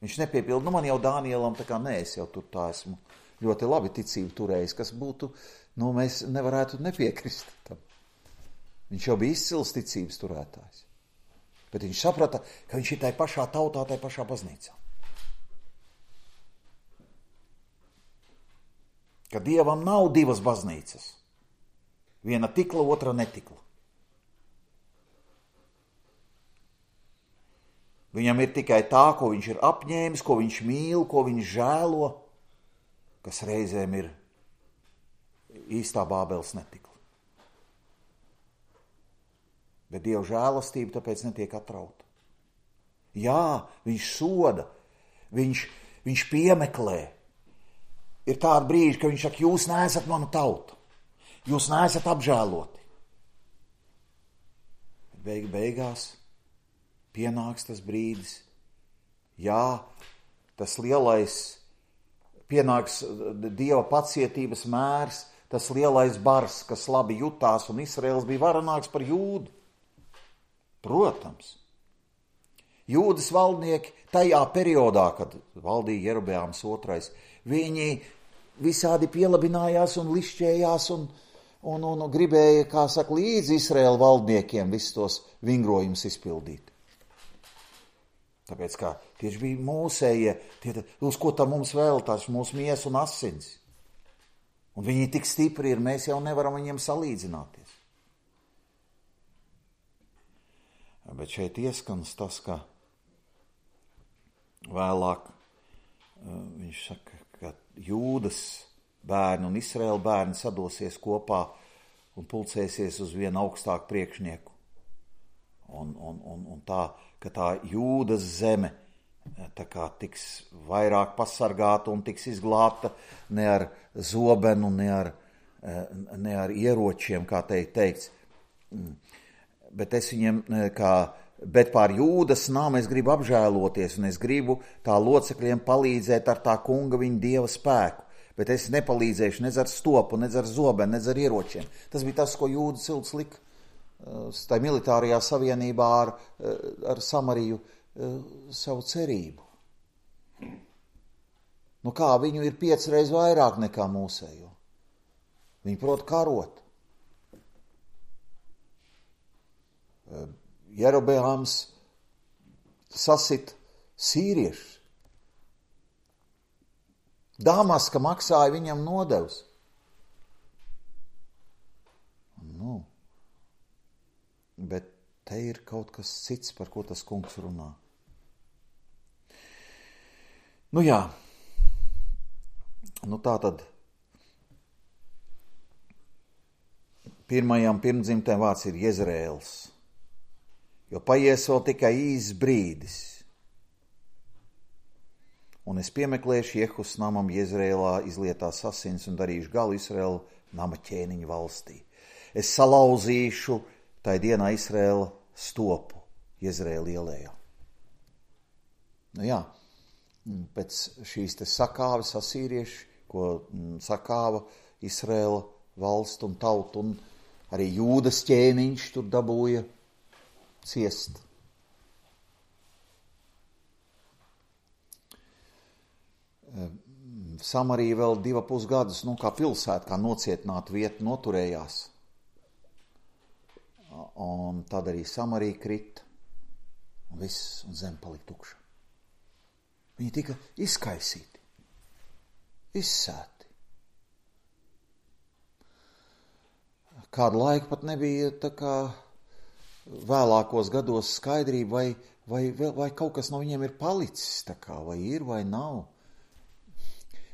Viņš nepiepilda, man jau Dānielam, tā kā nē, es jau tur tā esmu ļoti labi ticību turējis, kas būtu, mēs nevarētu nepiekrist tam. Viņš jau bija izcils ticības turētājs. Bet viņš saprata, ka viņš ir tai pašā tautā, tai pašā baznīcā. Ka Dievam nav divas baznīcas. Viena tikla, otra netikla. Viņam ir tikai tā, ko viņš ir apņēmis, ko viņš mīl, ko viņš žēlo, kas reizēm ir īstā Bābeles netikla. Bet Dieva žēlastība tāpēc netiek atrauta. Jā, viņš soda, viņš piemeklē. Ir tāda brīža, ka viņš saka, jūs neesat manu tautu, jūs neesat apžēloti. Beigās pienāks tas brīdis, jā, tas lielais, pienāks Dieva pacietības mērs, tas lielais bars, kas labi jutās, un Izraels bija varenāks par Jūdu. Protams. Jūdas valdnieki tajā periodā, kad valdīja Jerobeāms II, viņi visādi pielabinājās un lišķējās un gribēja, kā saka, līdz Izraēla valdniekiem visus tos vingrojumus izpildīt. Tāpēc, kā tieši bija mūsējie, uz ko tā mums vēl, tās mūsu miesa un asins. Un viņi tik stipri ir, mēs jau nevaram viņiem salīdzināties. Bet šeit ieskans tas, ka vēlāk viņš saka, ka Jūdas bērni un Izraēla bērni sadosies kopā un pulcēsies uz vienu augstāku priekšnieku. Un tā, ka tā Jūdas zeme tā kā tiks vairāk pasargāta un tiks izglābta ne ar zobenu, ne ar ieročiem, kā teikts. Bet es viņiem, bet pār Jūdas nām es gribu apžēloties, un es gribu tā locekļiem palīdzēt ar tā kunga viņa Dieva spēku. Bet es nepalīdzēšu nec ar stopu, nec ar zobenu, nec ar ieročiem. Tas bija tas, ko Jūda cilts lika tā militārajā savienībā ar Samariju savu cerību. Nu kā, viņu ir 5 reizes vairāk nekā mūsējo. Viņi prot karot. Jerobeāms sasit sīriešus. Damaska maksāja viņam nodevs. Bet te ir kaut kas cits, par ko tas kungs runā. Nu jā, tā tad pirmajam pirmdzimtajam vārds ir Jezreēls, jo paies vēl tikai īsts brīdis. Un es piemeklēšu Jehus namam Jezreēlā izlietās asins un darīšu galu Izraēla nama ķēniņu valstī. Es salauzīšu tai dienā Izraēla stopu Jezreēla ielējā. Nu jā, pēc šīs te sakāves asīrieši, ko sakāva Izraēla valstu un tautu, un arī Jūdas ķēniņš tur dabūja ciest. Samarija vēl 2,5 gadus, kā pilsēta, kā nocietināta vieta, noturējās. Un tad arī Samarija krita, un viss, un zem palika tukša. Viņi tika izkaisīti, izsēti. Kādu laiku pat nebija tā kā vēlākos gados skaidrība, vai kaut kas no viņiem ir palicis, tā kā, vai ir, vai nav.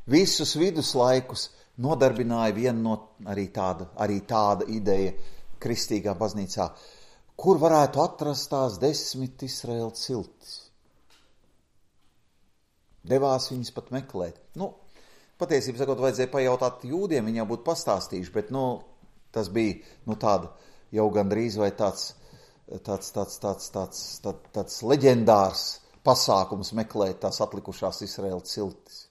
Visus viduslaikus nodarbināja viena arī tāda ideja kristīgā baznīcā, kur varētu atrast tās 10 Izraēla ciltis. Devās viņas pat meklēt. Patiesībā sakot, vajadzēja pajautāt jūdiem, viņi jau būtu pastāstījuši, bet tas bija tāda jau gandrīz vai tāds leģendārs pasākums meklēt tās atlikušās Izraēla ciltis.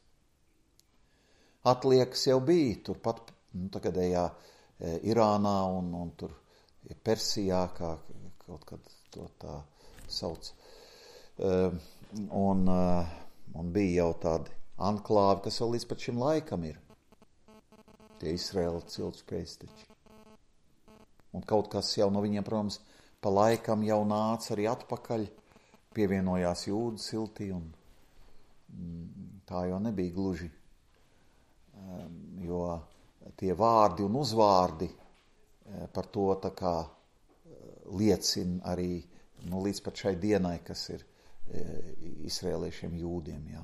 Atliekas jau bija turpat tagadējā Irānā un tur Persijā, kā kaut kad to tā sauc. Un bija jau tādi anklāvi, kas vēl līdz pat šim laikam ir. Tie Izraēla cilšu pēcteči. Un kaut kas jau no viņiem, protams, pa laikam jau nāca arī atpakaļ, pievienojās Jūdas ciltī, un tā jau nebija gluži, jo tie vārdi un uzvārdi par to tā kā liecina arī līdz pat šai dienai, kas ir izrēliešiem jūdiem. Jā.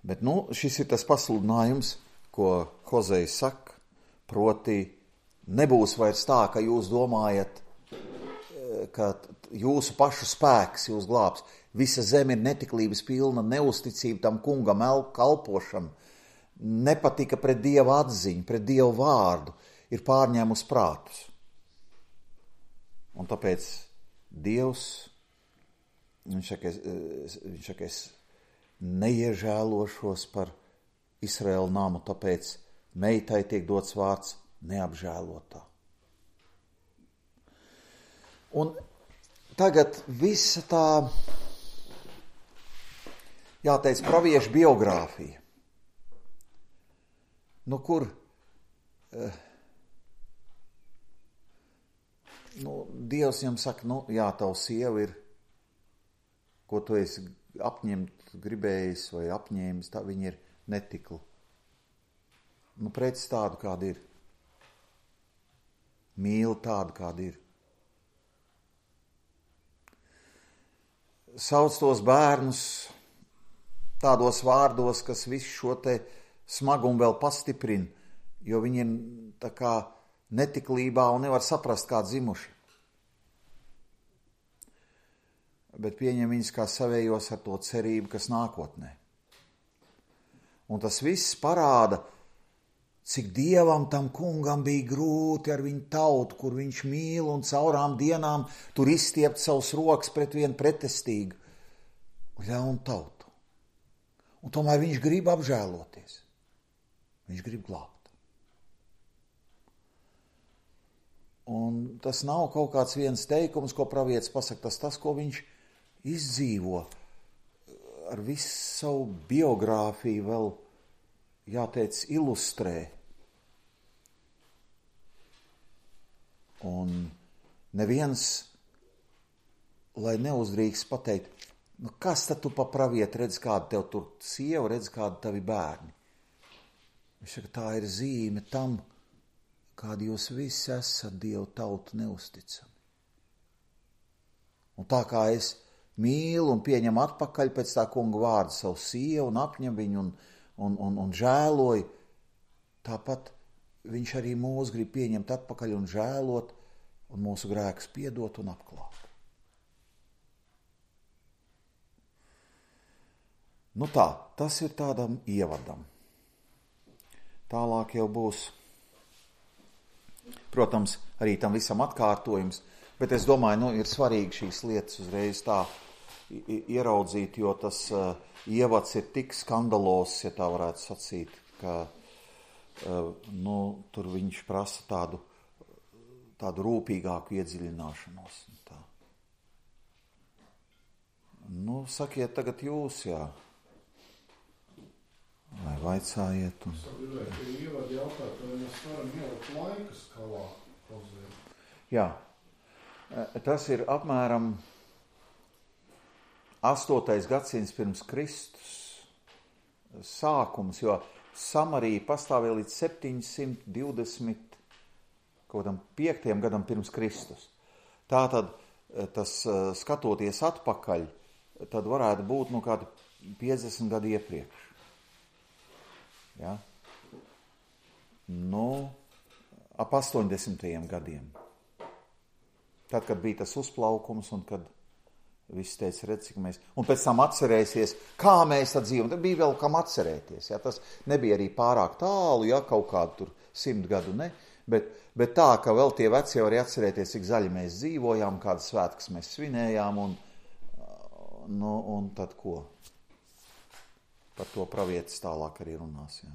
Bet šis ir tas pasludinājums, ko Hozei saka, proti nebūs vairs tā, ka jūs domājat, ka jūsu pašu spēks jūs glābs. Visa zeme ir netiklības pilna, neusticība tam kungam kalpošana, nepatika pret Dieva atziņu, pret Dievu vārdu, ir pārņēmus prātus. Un tāpēc Dievs, viņš saka, es neiežēlošos par Izraēlu namu, tāpēc meitai tiek dots vārds neapžēlotā. Un tagad visa tā, jāteic, praviešu biogrāfija. Nu, kur Dievs viņam saka, jā, tavu sieva ir, ko tu esi apņemt gribējis vai apņēmis, tā viņa ir netikla. Preci tādu, kāda ir. Mīli tādu, kāda ir. Sauc tos bērnus tādos vārdos, kas visu šo te smagumu vēl pastiprina, jo viņi ir tā kā netiklībā un nevar saprast, kā dzimuši. Bet pieņem viņus kā savējos ar to cerību, kas nākotnē. Un tas viss parāda, cik Dievam tam kungam bija grūti ar viņu tautu, kur viņš mīl un caurām dienām tur izstiept savus rokas pret vienu pretestīgu ļaunu tautu. Un tomēr viņš grib apžēloties. Viņš grib glābt. Un tas nav kaut kāds viens teikums, ko pravietis pasaka, tas, ko viņš izdzīvo ar visu savu biogrāfiju vēl, jāteic, ilustrē. Un neviens, lai neuzdrīkst pateikt, kas tad tu pa pravieti redz, kāda tev tur sieva, redz, kāda tavi bērni. Viņš saka, tā ir zīme tam, kādi jūs visi esat Dievu tautu neusticami. Un tā kā es mīlu un pieņemu atpakaļ pēc tā kunga vārda savu sievu un apņem viņu un žēloju, tāpat viņš arī mūs grib pieņemt atpakaļ un žēlot un mūsu grēkus piedot un apklāt. Tas ir tādam ievadam. Tālāk jau būs, protams, arī tam visam atkārtojums, bet es domāju, ir svarīgi šīs lietas uzreiz tā ieraudzīt, jo tas ievads ir tik skandalos, ja tā varētu sacīt, ka tur viņš prasa tādu rūpīgāku iedziļināšanos. Sakiet tagad jūs, jā. Vai vaicājiet? Es gribēju, ka ievadu jautāt, vai mēs varam ielikt laika skalā Hozejā? Jā, tas ir apmēram 8. gadsimts pirms Kristus sākums, jo Samarija pastāvēja līdz 725. gadam pirms Kristus. Tātad, tas skatoties atpakaļ, tad varētu būt kādi 50 gadi iepriekš. Ja? Ap 80. gadiem. Tad, kad bija tas uzplaukums un kad viss teica, redz, cik mēs... Un pēc tam atcerēsies, kā mēs dzīvojam. Tad bija vēl kam atcerēties. Ja? Tas nebija arī pārāk tālu, ja kaut kādu tur 100 gadu, ne? Bet tā, ka vēl tie veci var atcerēties, cik zaļi mēs dzīvojām, kādas svētkas mēs svinējām un tad ko? Par to pravietis tālāk arī runās, jā.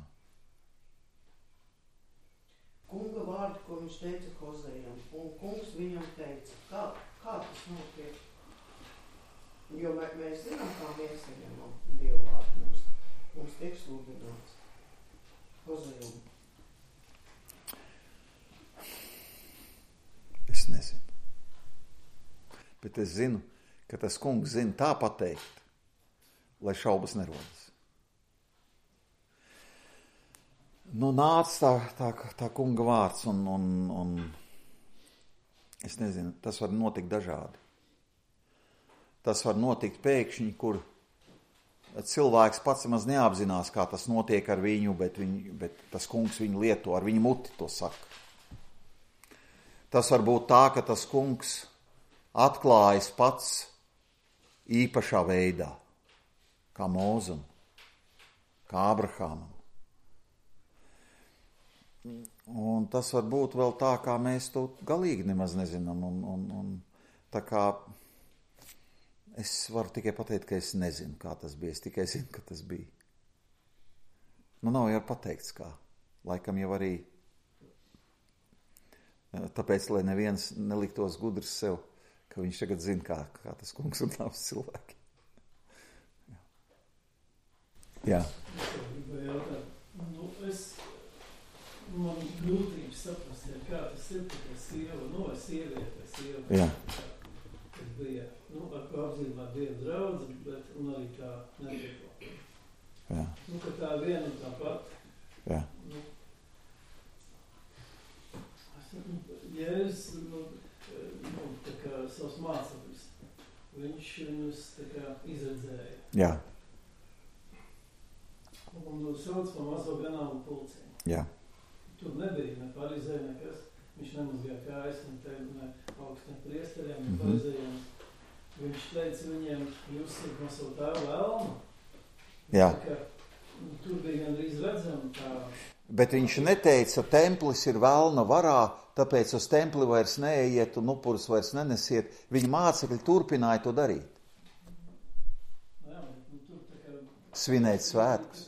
Kunga vārdi, ko viņš teica Hozejam, un kungs viņam teica, kā tas notiek? Jo mēs zinām, kā mēs saņemam Dievu vārdu, mums tiek sludināts Hozejam. Es nezinu. Bet es zinu, ka tas kungs zina tā pateikt, lai šaubas nerodas. Nāca tā kunga vārds un es nezinu, tas var notikt dažādi. Tas var notikt pēkšņi, kur cilvēks pats maz neapzinās, kā tas notiek ar viņu, bet tas kungs viņu lieto, ar viņu muti to saka. Tas var būt tā, ka tas kungs atklājas pats īpašā veidā, kā Mūzum, kā Abrahamam. Un tas var būt vēl tā, kā mēs to galīgi nemaz nezinām. Un tā kā es varu tikai pateikt, ka es nezinu, kā tas bija. Es tikai zinu, ka tas bija. Nu, nav jau pateikts kā. Laikam jau arī tāpēc, lai neviens neliktos gudrs sev, ka viņš tagad zina, kā tas kungs un tavs cilvēki. Jā. Man grūtības saprast, kā tas ir, ka sieva, sieviete, Jā. kas bija, ar ko apzīmē Dieva draudze, bet un arī kā netieklo. Jā. Ka tā viena un tā pat. Jā. Jēzus, tā kā savs māceklis, viņš viņus tā kā izredzēja. Jā. Un sauc pa mazo ganāmu pulciņu. Jā. Tur nebija ne farizēja, nekas. Viņš nemazgāja kājas, ne augstiem priesteriem, ne farizējiem. Viņš teica viņiem, jūs esat no savu tēvu vēlmu. Jā. Tā kā, tur bija gandrīz redzama tā. Bet viņš neteica, templis ir velna varā, tāpēc uz templi vairs neejiet un upurus vairs nenesiet. Viņa mācekļi turpināja to darīt. Jā, bet tur tā kā... Svinēt svētkus.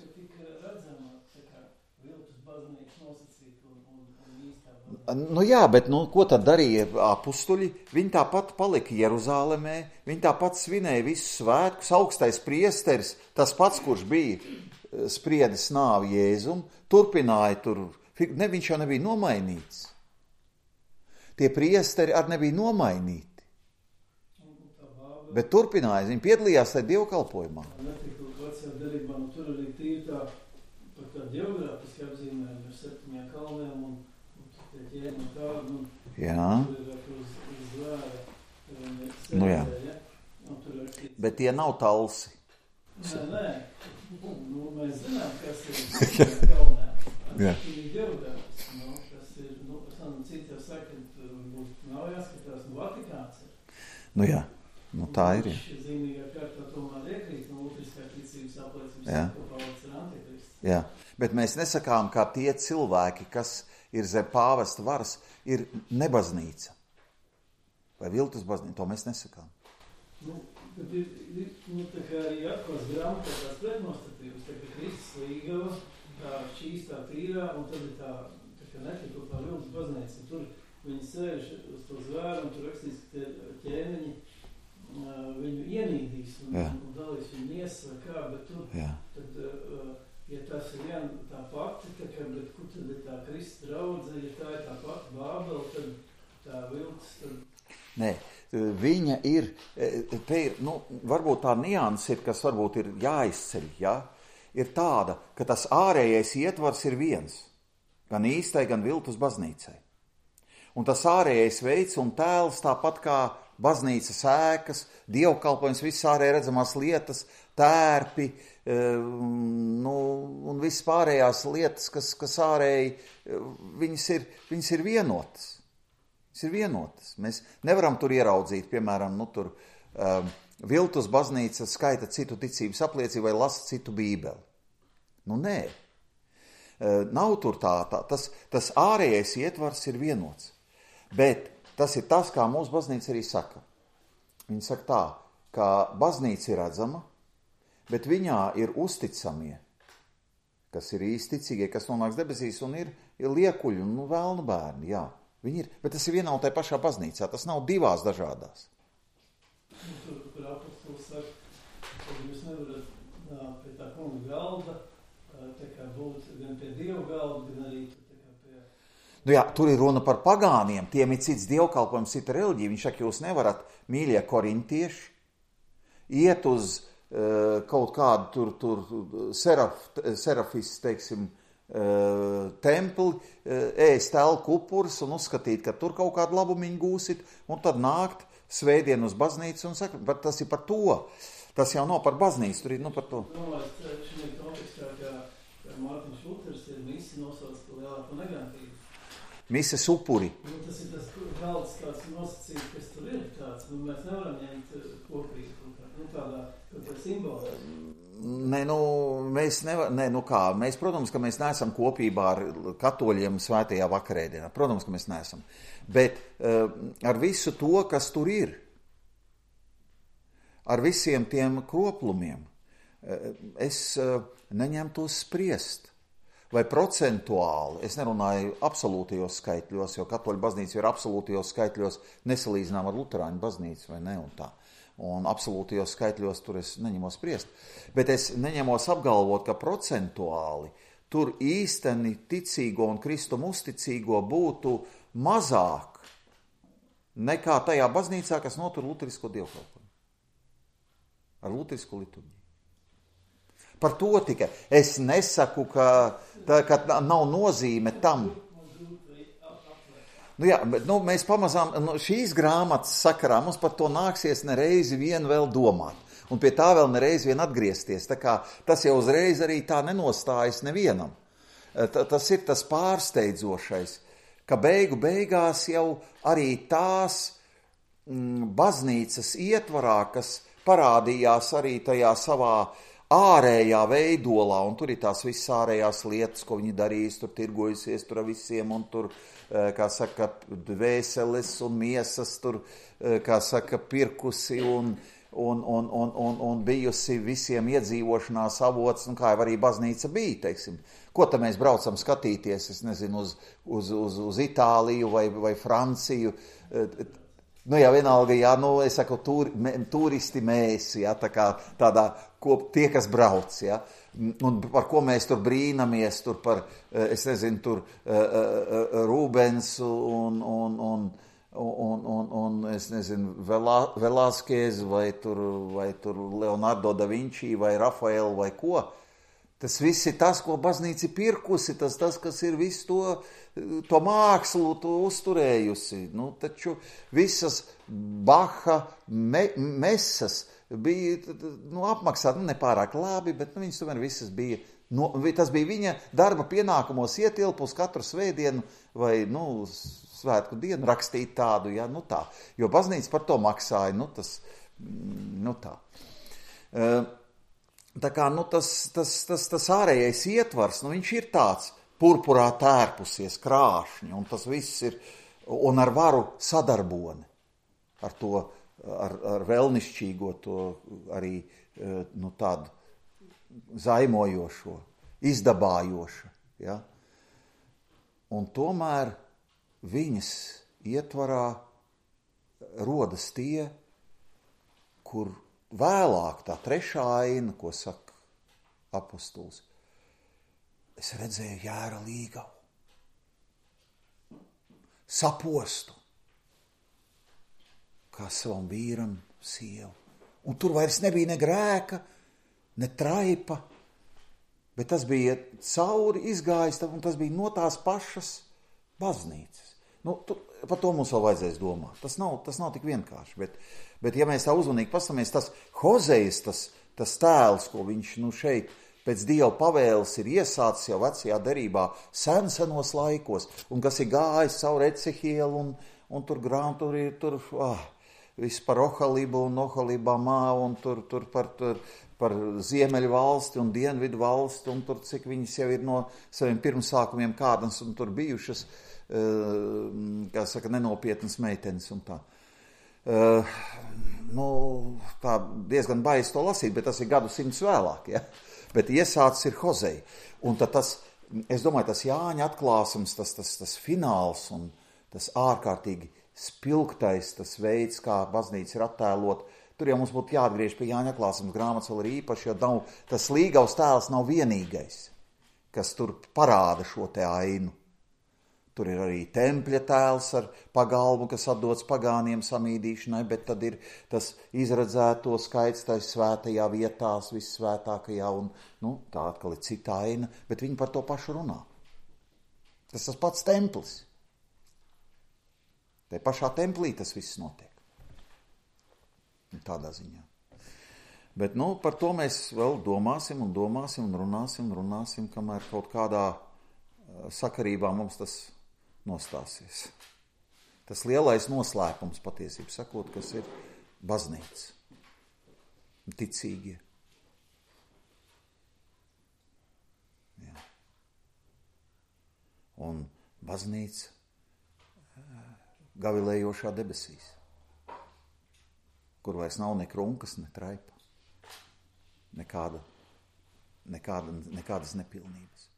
Nu jā, bet ko tad darīja apustuļi? Viņi tāpat palika Jeruzālemē, viņi tāpat svinēja visus svētkus, augstais priesteris, tas pats, kurš bija spriedis nāvi Jēzum, turpināja tur, viņš jau nebija nomainīts. Tie priesteri arī nebija nomainīti. Bet turpināja, viņi piedalījās tajā dievkalpojumā. Tur arī tīri tā, par tā geogrāfiski apzīmējumi ar 7 kalniem un ķēni un tādu, jā. Tur ir uz zvēra, Nu jā. Tur ir... Bet tie nav talsi. Nē. Mēs zinām, kas ir kalnē. Jā. Tas ir geogrāfiski, tas ir, citi jau saka, nav jāskatās, Vatikāns ir. Nu jā, tā ir. Viņš zīmīgā kārtā tomēr iekrīt, lutriskā ticības apliecības, ka Pāvils ir antikrists. Jā, bet mēs nesakām, kā tie cilvēki, kas ir zem pāvesta varas, ir nebaznīca. Vai viltus baznīca, to mēs nesakām. Tad ir tā kā arī atkos grāmatā tās pretnostatības, tā kā Kristus līgava, tā šķīstā tīrā, un tad ir tā kā netikot tā viltus baznīca. Tur viņi sēž uz to zvēru, un tur rakstīs, ka tie ķēniņi viņu ienīdīs un dalīs viņu miesas vai kā, bet tur, tad, ja tas ir viena tā pati, bet kur tad ir tā Kristus draudze, ja tā ir tā pati Bābele, tad tā viltus, tad... Nē, viņa ir, te ir, varbūt tā nianse ir, kas varbūt ir jāizceļ, ja? Ir tāda, ka tas ārējais ietvars ir viens, gan īstai, gan viltus baznīcai. Un tas ārējais veids un tēls tāpat kā baznīcas ēkas, dievkalpojums, visas ārēji redzamās lietas, tērpi, un visas pārējās lietas, kas ārēji, viņas ir vienotas. Tas ir vienotas. Mēs nevaram tur ieraudzīt, piemēram, viltus baznīca skaita citu ticības apliecību vai lasa citu bībeli. Nē. Nav tur tā. Tas ārējais ietvars ir vienots. Bet tas ir tas, kā mūsu baznīca arī saka. Viņa saka tā, ka baznīca ir redzama, bet viņā ir uzticamie, kas ir īsti ticīgie, kas nonāks debesīs un ir liekuļi un vēlnu bērni, jā. Viņi ir, bet tas ir vienā un tajā pašā baznīcā, tas nav divās dažādās. Tur apostols saka, ka jūs nevarat pie tā kunga galda, tā kā būt gan pie Dieva galda, gan arī tā kā pie... Jā, tur ir runa par pagāniem, tiem ir cits dievkalpojums, cita reliģija. Viņš saka, jūs nevarat, mīļie korintieši, iet uz kaut kādu tur serafis, teiksim, templi, ēst elku upurus un uzskatīt, ka tur kaut kādu labumiņu gūsit, un tad nākt svētdien uz baznīcu un saka, bet tas ir par to. Tas jau nav par baznīcu, tur ir par to. Šī kontekstā, ka Mārtiņš Luters ir visi nosauc lielāko negantību. mises upuri. Tas ir tas galds kāds nosacījums, kas tur ir tāds. Mēs nevaram ņemt kopīgi tādā simbolā. Mēs, protams, ka mēs neesam kopībā ar katoļiem svētajā vakarēdienā. Protams, ka mēs neesam. Bet ar visu to, kas tur ir, ar visiem tiem kroplumiem, es neņemtos spriest. Vai procentuāli, es nerunāju absolūtajos skaitļos, jo katoļu baznīca ir absolūtajos skaitļos nesalīdzinām ar luterāņu baznīcu, vai ne, un tā. Un absolūtajos skaitļos tur es neņemos spriest. Bet es neņemos apgalvot, ka procentuāli tur īsteni ticīgo un Kristum uzticīgo būtu mazāk nekā tajā baznīcā, kas notur luterisko dievkalpojumu. Ar luterisko liturģiju. Par to tikai. Es nesaku, ka nav nozīme tam. Mēs pamazām, šīs grāmatas sakarā mums par to nāksies nereizi vien vēl domāt. Un pie tā vēl nereizi vien atgriezties. Tā kā tas jau uzreiz arī tā nenostājas nevienam. Tas ir tas pārsteidzošais, ka beigās jau arī tās baznīcas ietvarā, kas parādījās arī tajā savā ārējā veidolā, un tur ir tās visas ārējās lietas, ko viņi darīs, tur tirgojusies tur ar visiem, un tur, kā saka, dvēseles un miesas, tur, kā saka, pirkusi un bijusi visiem iedzīvošanās avots, un kā jau arī baznīca bija, teiksim. Ko tad mēs braucam skatīties, es nezinu, uz Itāliju vai Franciju, vienalga, es saku, turisti mēs, tā kā tādā, tie, kas brauc, un par ko mēs tur brīnamies, tur par, es nezinu, tur Rubens un es nezinu, Velázquez vai tur Leonardo da Vinci vai Rafael vai ko. Tas viss ir tas, ko baznīca ir pirkusi, tas, kas ir visu to mākslu uzturējusi. Taču visas Baha mesas bija apmaksāt, nepārāk labi, bet viņas tomēr visas bija, tas bija viņa darba pienākumos ietilpus katru svētdienu vai, svētku dienu rakstīt tādu, tā. Jo baznīca par to maksāja, tas, tā. Tā kā, tas ārējais ietvars, viņš ir tāds purpurā tērpusies krāšņi, un tas viss ir, un ar varu sadarboni, ar to, ar vēlnišķīgo to arī, tādu zaimojošo, izdabājošu, Un tomēr viņas ietvarā rodas tie, kur vēlāk tā trešā aina, ko saka apostols, es redzēju jēra līgavu, sapostu, kā savam vīram sievu. Un tur vairs nebija ne grēka, ne traipa, bet tas bija cauri izgājis, un tas bija no tās pašas baznīcas. Par to mums vēl vajadzēs domāt. Tas nav tik vienkārši, bet ja mēs tā uzmanīgi paskatāmies, tas Hozejas, tas tēls, ko viņš šeit pēc Dieva pavēles ir iesācis jau vecajā derībā senos laikos, un kas ir gājis caur Ecehielu, un tur ir viss par Ohalibu un Ohalibamā, un tur par ziemeļu valsti un dienvidu valsti, un tur cik viņas jau ir no saviem pirmsākumiem kādas, un tur bijušas, kā saka, nenopietnas meitenes un tā. Tā diezgan baisi to lasīt, bet tas ir gadsimts vēlāk, Bet iesācis ir Hozeja. Un tad es domāju, tas Jāņa atklāsums, tas fināls un tas ārkārtīgi spilgtais, tas veids, kā baznīca ir attēlot, tur jau mums būtu jāatgriež pie Jāņa atklāsums grāmatas vēl ir īpaši, jo tas līgavs tēls nav vienīgais, kas tur parāda šo te ainu. Tur ir arī tempļa tēls ar pagalmu, kas atdots pagāniem samīdīšanai, bet tad ir tas izredzēto skaits tais svētajā vietās, vissvētākajā, un tā atkal ir cita aina, bet viņi par to pašu runā. Tas pats templis. Te pašā templī tas viss notiek. Tādā ziņā. Bet, par to mēs vēl domāsim un runāsim, kamēr kaut kādā sakarībā mums tas nostāsies. Tas lielais noslēpums patiesībā sakot, kas ir baznīca. Ticīgie. Jā. Un baznīca gavilējošā debesīs, kur vairs nav ne krunkas, ne traipa, nekādas nepilnības.